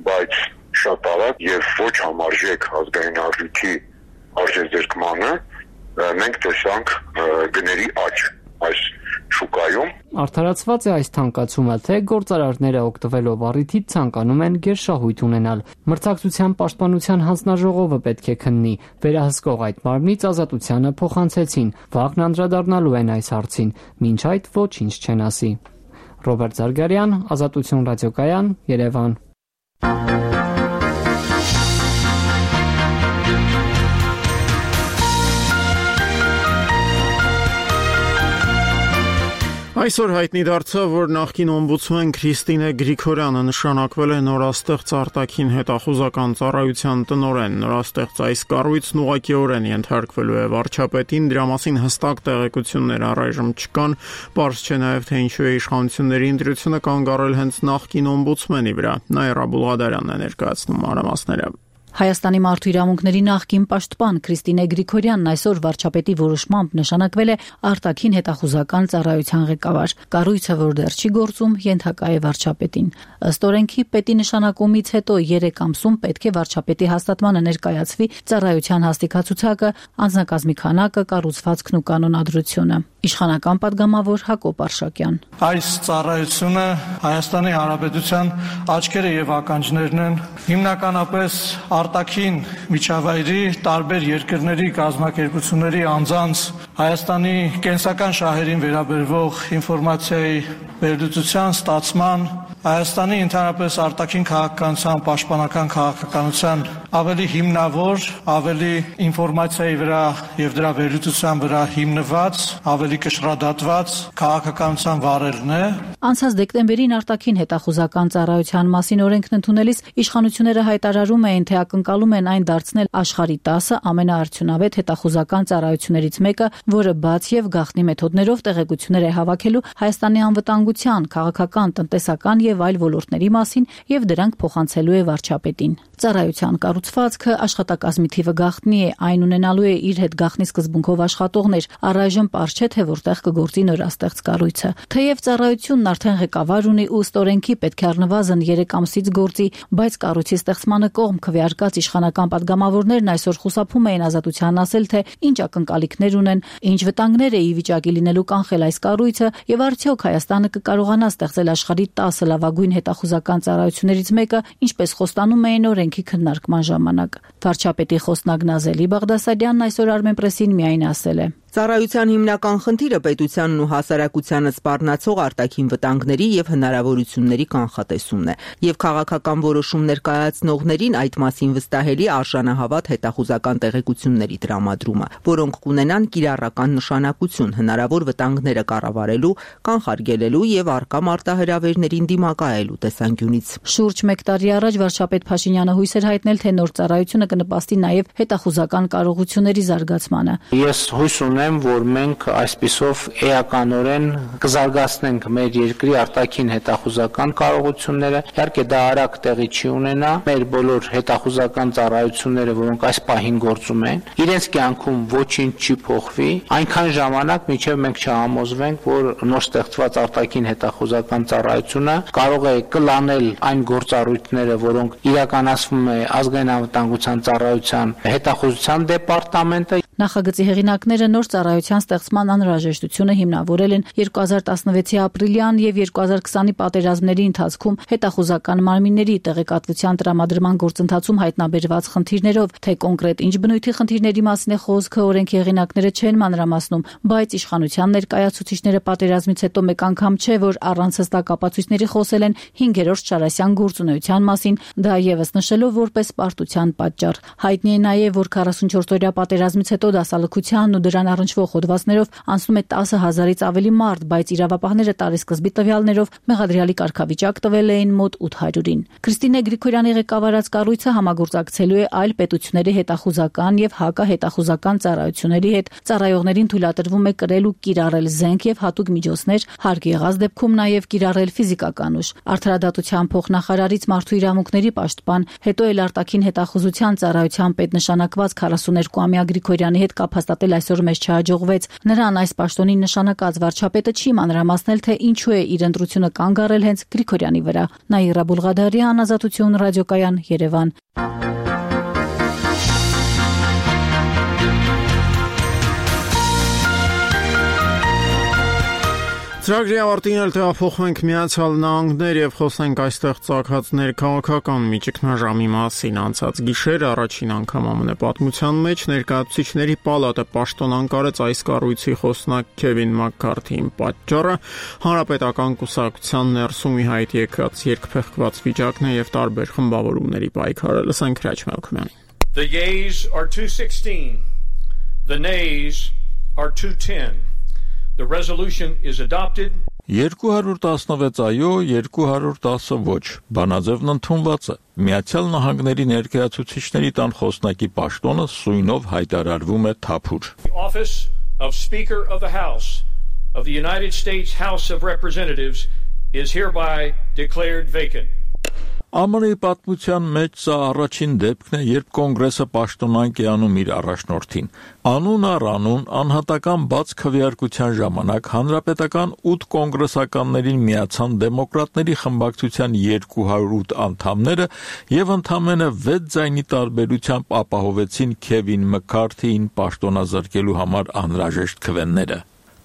բայց շատ արագ եւ ոչ համարժեք ազգային արժույթի արժեզրկմանը մենք տեսանք գների աճ այս շուկայում։ Արդարացված է այս թանկացումը, թե գործարարները օգտվելով առիթից ցանկանում են գերշահույթ ունենալ։ Մրցակցության պաշտպանության հանձնաժողովը պետք է քննի։ Վերահսկող այդ մարմնից ազատությանը փոխանցեցին։ Վաղն անդրադառնալու են այս հարցին։ Մինչ այդ ոչինչ չեն ասի։ Ռոբերտ Զարգարյան, Ազատություն ռադիոկայան, Երևան։ Այսօր հայտնի դարձավ, որ նախկին օմբուդսմեն Քրիստինե Գրիգորյանը նշանակվել է նորաստեղծ արտաքին հետախուզական ծառայության տնօրեն։ Նորաստեղծ այս կառույցն ուղղակիորեն ենթարկվելու է վարչապետին, դրա մասին հստակ տեղեկություններ առայժմ չկան, պարզ չէ նաև թե ինչու է իշխանությունների ընտրությունը կանգ առել հենց նախկին օմբուդսմենի վրա։ Նաիրա Բուլղադարյանն է ներկայացնում մանրամասները։ Հայաստանի մարդու իրավունքների նախկին պաշտպան Քրիստինե Գրիգորյանն այսօր վարչապետի որոշմամբ նշանակվել է արտաքին հետախուզական ծառայության ղեկավար։ Կառույցը, որ դեռ չի գործում, ենթակա է վարչապետին։ Ըստ օրենքի պետի նշանակումից հետո երեք ամսում պետք է վարչապետի հաստատմանը ներկայացվի ծառայության հաստիքացուցակը, անձնակազմի քանակը, կառուցվածքն ու կանոնադրությունը։ Իշխանական падգամավոր Հակոբ Արշակյան։ Այս ծառայությունը Հայաստանի Հանրապետության աչքերը եւ ականջներն են, հիմնականապես արտաքին միջավայրի տարբեր երկրների կազմակերպությունների անձանց Հայաստանի կենսական շահերին վերաբերող ինֆորմացիայի վերլուծության, ստացման, Հայաստանի ընդհանրապես արտաքին քաղաքականության, պաշտպանական քաղաքականության ավելի հիմնավոր, ավելի ինֆորմացիայի վրա եւ դրա վերլուծության վրա հիմնված, ավելի կշռադատված քաղաքականության վարելն է։ Անցած դեկտեմբերին արտաքին հետախուզական ծառայության մասին օրենքն ընդունելիս իշխանությունները հայտարարում էին, թե ակնկալում են այն դարձնել աշխարհի տասը ամենաարդյունավետ հետախուզական ծառայություններից մեկը, որը բաց եւ գաղտնի մեթոդներով տեղեկություններ է հավաքելու Հայաստանի անվտանգության, քաղաքական, տնտեսական եւ այլ ոլորտների մասին եւ դրանք փոխանցելու է վարչապետին։ Ծառայության կառուցվածքը, աշխատակազմի թիվը գաղտնի է, այն ունենալու է իր հետ գաղտնի սկզբունքով աշխատողներ, առայժմ պարզ չէ, թե որտեղ կգործի նորաստեղծ կառույցը։ Թեև ծառայությունն արդեն ղեկավար ունի ու ըստ օրենքի պետք է առնվազն երեք ամսից գործի, բայց կառույցի ստեղծմանը կողմ քվեարկած իշխանական падգամավորներն այսօր խուսափում էին Ազատությանն ասել, թե ինչ ակնկալիքներ ունեն, ինչ վտանգներ է ի վիճակի լինելու կանխել այս կառույցը եւ արդյոք Հայաստանը կկարողանա ստեղծել աշխարհի տասը լավագույն հետախուզական ծառայություններից մեկը, ինչպես խոստանում էին օրենքի քննարկման ժամանակ։ Վարչապետի խոսնակ Նազելի Բաղդասարյանն այսօր Armenpress-ին միայն ասել է. Ծառայության հիմնական խնդիրը պետությանն ու հասարակությանը սպառնացող արտաքին վտանգների եւ հնարավորությունների կանխատեսումն է, եւ քաղաքական որոշումներ կայացնողներին այդ մասին վստահելի արժանահավատ հետախուզական տեղեկությունների տրամադրումը, որոնք կունենան կիրառական նշանակություն հնարավոր վտանգները կառավարելու, կանխարգելելու եւ արկա մարտահրավերներին դիմակայելու տեսանկյունից։ Շուրջ մեկ տարի առաջ վարչապետ Փաշինյանը հույս էր հայտնել, թե նոր ծառայությունը կնպաստի նաեւ հետախուզական կարողությունների զարգացմանը։ Ես հույս ունեմ, որ մենք այսպիսով էականորեն կզարգացնենք մեր երկրի արտաքին հետախուզական կարողությունները։ Իհարկե դա արագ տեղի չի ունենա։ Մեր բոլոր հետախուզական ծառայությունները, որոնք այս պահին գործում են, իրենց կյանքում ոչինչ չի փոխվի, այնքան ժամանակ, մինչև մենք չհամոզվենք, որ նոր ստեղծված արտաքին հետախուզական ծառայությունը կարող է կլանել այն գործառույթները, որոնք իրականացվում է ազգային անվտանգության ծառայության հետախուզության դեպարտամենտը։ Նախագծի հեղինակները նոր ծառայության ստեղծման անհրաժեշտությունը հիմնավորել են երկու հազար տասնվեցի ապրիլյան եւ երկու հազար քսանի պատերազմների ընթացքում հետախուզական մարմինների տեղեկատվության տրամադրման գործընթացում հայտնաբերված խնդիրներով, թե կոնկրետ ինչ բնույթի խնդիրների մասին է խոսքը, օրենքի հեղինակները չեն մանրամասնում, բայց իշխանության ներկայացուցիչները պատերազմից հետո մեկ անգամ չէ, որ առանց հստակ ապացույցների խոսել են հինգերորդ Շարասյան գործունեության մասին, դա եւս նշելով որպես պարտության պատճառ։ Հայտնի է նաեւ, որ քառասունչորս-օրյա պատերազմից հետո դասալքությանն ու դրան առնչվող հոդվածներով անցնում է տասը հազարից ավելի մարդ, բայց իրավապահները տարեսկզբի տվյալներով մեղադրյալի կարգավիճակ տվել էին մոտ ութ հարյուրին։ Քրիստինե Գրիգորյանի ղեկավարած կառույցը համագործակցելու է այլ պետությունների հետախուզական եւ հակահետախուզական ծառայությունների հետ։ Ծառայողներին թույլատրվում է կրել ու կիրառել զենք եւ հատուկ միջոցներ, հարկ եղած դեպքում նաեւ կիրառել ֆիզիկական ուժ։ Արդարադատության փոխնախարարից մարդու իրավունքների պաշտպան, հետո էլ արտաքին հետախուզության ծառայության պետ նշանակված քառասուներկուամյա Գրիգորյանի հետ կապ հաստատել այսօր մեզ չհաջողվեց։ Նրան այս պաշտոնին նշանակած վարչապետը չի մանրամասնել, թե ինչու է իր ընտրությունը կանգ առել հենց Գրիգորյանի վրա։ Նաիրա Բուլղադարյան, Ազատություն, ռադիոկայան, Երևան։ Ծրագրի ավարտին էլ տեղափոխվենք Միացյալ Նահանգներ եւ խոսենք այստեղ ծագած ներքաղաքական միջիկնաժամի մասին։ Անցած գիշեր առաջին անգամ ԱՄՆ պատմության մեջ ներկայացուցիչների պալատը պաշտոնանկարեց այս կառույցի խոսնակ Քևին Մաքքարթիին։ Պատճառը հանրապետական կուսակցության ներսում ի հայտ եկած երկփեղկված վիճակն է եւ տարբեր խմբավորումների պայքարը։ Լսենք Հրաչ Մելքումյանին։ The yeas are two sixteen. The nays are two ten. The resolution is adopted. երկու հարյուր տասնվեց այո, երկու հարյուր տասը ոչ։ Բանաձևն ընդունված է։ Միացյալ Նահանգների ներկայացուցիչների տան խոսնակի պաշտոնը սույնով հայտարարվում է թափուր։ The office of Speaker of the House of the United States House of Representatives is hereby declared vacant. ԱՄՆ-ի պատմության մեջ սա առաջին դեպքն է, երբ կոնգրեսը պաշտոնանկ է անում իր առաջնորդին։ Անուն առ անուն անհատական բաց քվեարկության ժամանակ հանրապետական ութ կոնգրեսականներին միացան դեմոկրատների խմբակցության երկու հարյուր ութ անդամները եւ ընդամենը վեց ձայնի տարբերությամբ ապահովեցին Քևին Մաքքարթիին պաշտոնազրկելու համար անհրաժեշտ քվեները։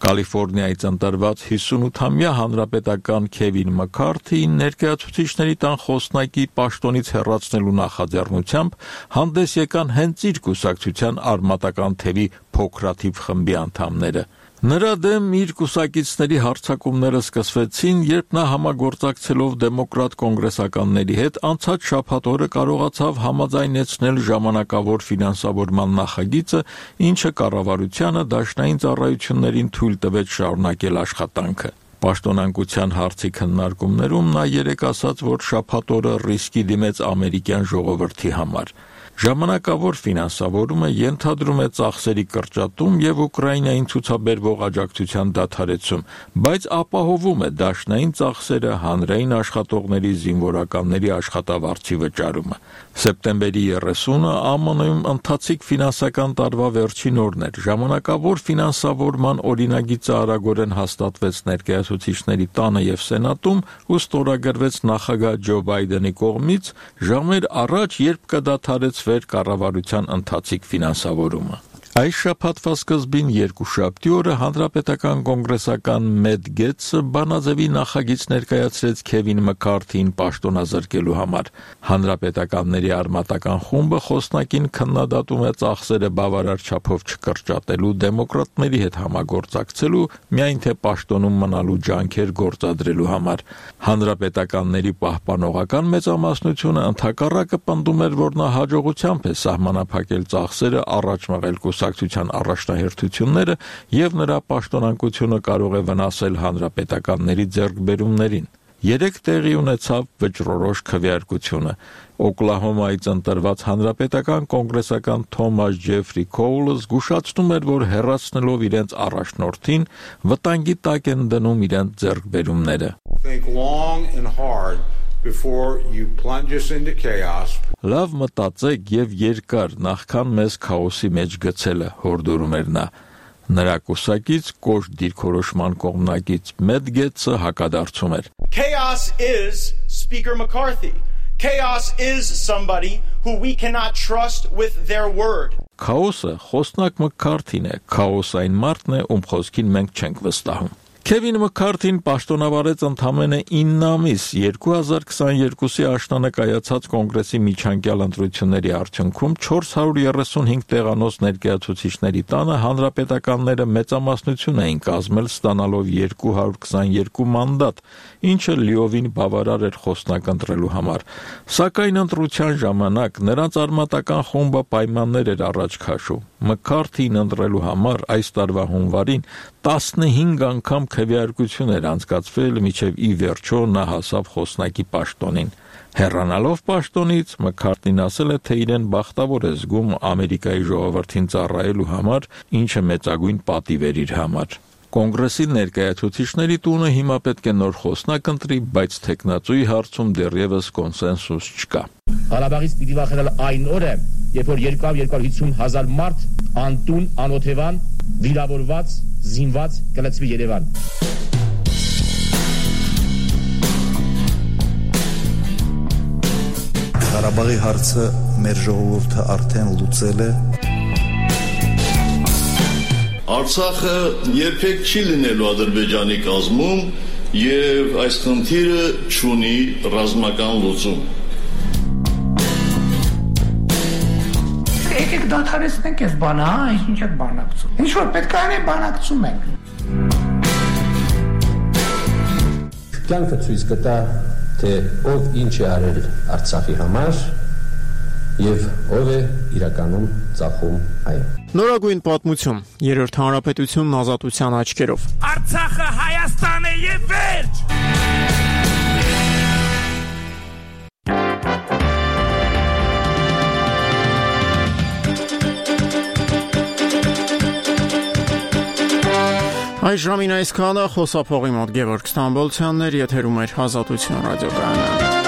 Կալիֆոռնիայից ընտրված հիսունութամյա հանրապետական Քևին Մաքքարթիին ներկայացուցիչների տան խոսնակի պաշտոնից հեռացնելու նախաձեռնությամբ հանդես եկան հենց իր կուսակցության արմատական թևի փոքրաթիվ խմբի անդամները։ Նրա դեմ իր կուսակիցների հարձակումները սկսվեցին, երբ նա համագործակցելով դեմոկրատ կոնգրեսականների հետ անցած շաբաթ օրը կարողացավ համաձայնեցնել ժամանակավոր ֆինանսավորման նախագիծը, ինչը կառավարությանը դաշնային ծառայություններին թույլ տվեց շարունակել աշխատանքը։ Պաշտոնանկության հարցի քննարկումներում նա երեկ ասաց, որ շաբաթ օրը ռիսկի դիմեց ամերիկյան ժողովրդի համար։ Ժամանակավոր ֆինանսավորումը ենթադրում է ծախսերի կրճատում եւ Ուկրաինային ցուցաբերվող աջակցության դադարեցում, բայց ապահովում է դաշնային ծախսերը, հանրային աշխատողների, զինվորականների աշխատավարձի վճարումը։ Սեպտեմբերի երեսունը ԱՄՆ-ում ընթացիկ ֆինանսական տարվա վերջին օրն էր։ Ժամանակավոր ֆինանսավորման օրինագիծը արագորեն հաստատվեց ներկայացուցիչների տանը եւ Սենատում ու ստորագրվեց նախագահ Ջո Բայդենի կողմից ժամեր առաջ, երբ կդադարեցվեր կառավարության ընթացիկ ֆինանսավորումը։ Այս շաբաթվա սկզբին երկուշաբթի օրը հանրապետական կոնգրեսական Մեթ Գեթսը բանաձևի նախագիծ ներկայացրեց Քևին Մաքքարթիին պաշտոնազրկելու համար։ Հանրապետականների արմատական խումբը խոսնակին քննադատում է ծախսերը բավարար չափով չկրճատելու, դեմոկրատների հետ համագործակցելու, միայն թե պաշտոնում մնալու ջանքեր գործադրելու համար։ Հանրապետականների պահպանողական մեծամասնությունը ընդհակառակը պնդում էր, որ նա հաջողությամբ է սահմանափակել ծախսերը, առաջ մղել կուսակցության առաջնահերթությունները եւ նրա պաշտոնանկությունը կարող է վնասել հանրապետականների ձեռքբերումներին։ Երեք տեղի ունեցավ վճռորոշ քվեարկությունը։ Օկլահոմայից ընտրված հանրապետական կոնգրեսական Թոմաս Ջեֆրի Քոուլը զգուշացնում էր, որ հեռացնելով իրենց առաջնորդին վտանգի տակ են դնում իրենց ձեռքբերումները։ Think long and hard before you plunge us into chaos. Լավ մտածեք եւ երկար նախքան մեզ քաոսի մեջ գցելը, հորդորում էր նա։ Նրա կուսակից կոշտ դիրքորոշման կողմնակից Մեթ Գեթսը հակադարձում էր. Chaos is Speaker McCarthy. Chaos is somebody who we cannot trust with their word. Քաոսը խոսնակ Մքարթին է, քաոսային մարդն է, ում խոսքին մենք չենք վստահում։ Քևին Մքարթին պաշտոնավարեց ընդամենը ինը ամիս երկու հազար քսաներկուսի աշնանը կայացած կոնգրեսի միջանկյալ ընտրությունների արդյունքում չորս հարյուր երեսունհինգ տեղանոց ներկայացուցիչների տանը հանրապետականները մեծամասնություն էին կազմել ստանալով երկու հարյուր քսաներկու մանդատ, ինչը լիովին բավարար էր խոսնակ ընտրելու համար։ Սակայն ընտրության ժամանակ նրանց արմատական խումբը պայմաններ էր առաջ քաշում։ Մքարթին ընտրելու համար այս տարվա հունվարին տասնհինգ անգամ քվեարկություն էր անցկացվել, մինչև ի վերջո նա հասավ խոսնակի պաշտոնին։ Հեռանալով պաշտոնից Մքարթին ասել է, թե իրեն բախտավոր է զգում Ամերիկայի ժողովրդին ծառայելու համար, ինչը մեծագույն պատիվ էր իր համար։ Կոնգրեսի ներկայացուցիչների տունը հիմա պետք է նոր խոսնակ ընտրի, բայց թեկնածուի հարցում դեռևս կոնսենսուս չկա։ Ղարաբաղից պիտի վախենալ այն օրը, երբ որ երկու հարյուր հիսուն հազար մարդ անտուն, անօթևան, վիրավորված, զինված կլցվի Երևան։ Ղարաբաղի հարցը մեր ժողովուրդը արդեն լուծել է։ Արցախը երբեք չի լինելու Ադրբեջանի կազմում եւ այս խնդիրը չունի ռազմական լուծում։ Եկեք դադարեցնենք այս բանը, հա, ինչ եք բանակցում։ Ինչ որ պետք է անենք, բանակցում ենք։ Կյանքը ցույց կտա, թե ով ինչ է արել Արցախի համար եւ ով է իրականում ծախում այն։ Նորագույն պատմություն, երրորդ հանրապետությունն ազատության աչքերով։ Արցախը Հայաստան է եւ վերջ։ Այս ժամին այսքանը խոսափողի մոտ Գևորգ Ստամբոլցյանն էր, եթերում էր Ազատություն ռադիոկայանը։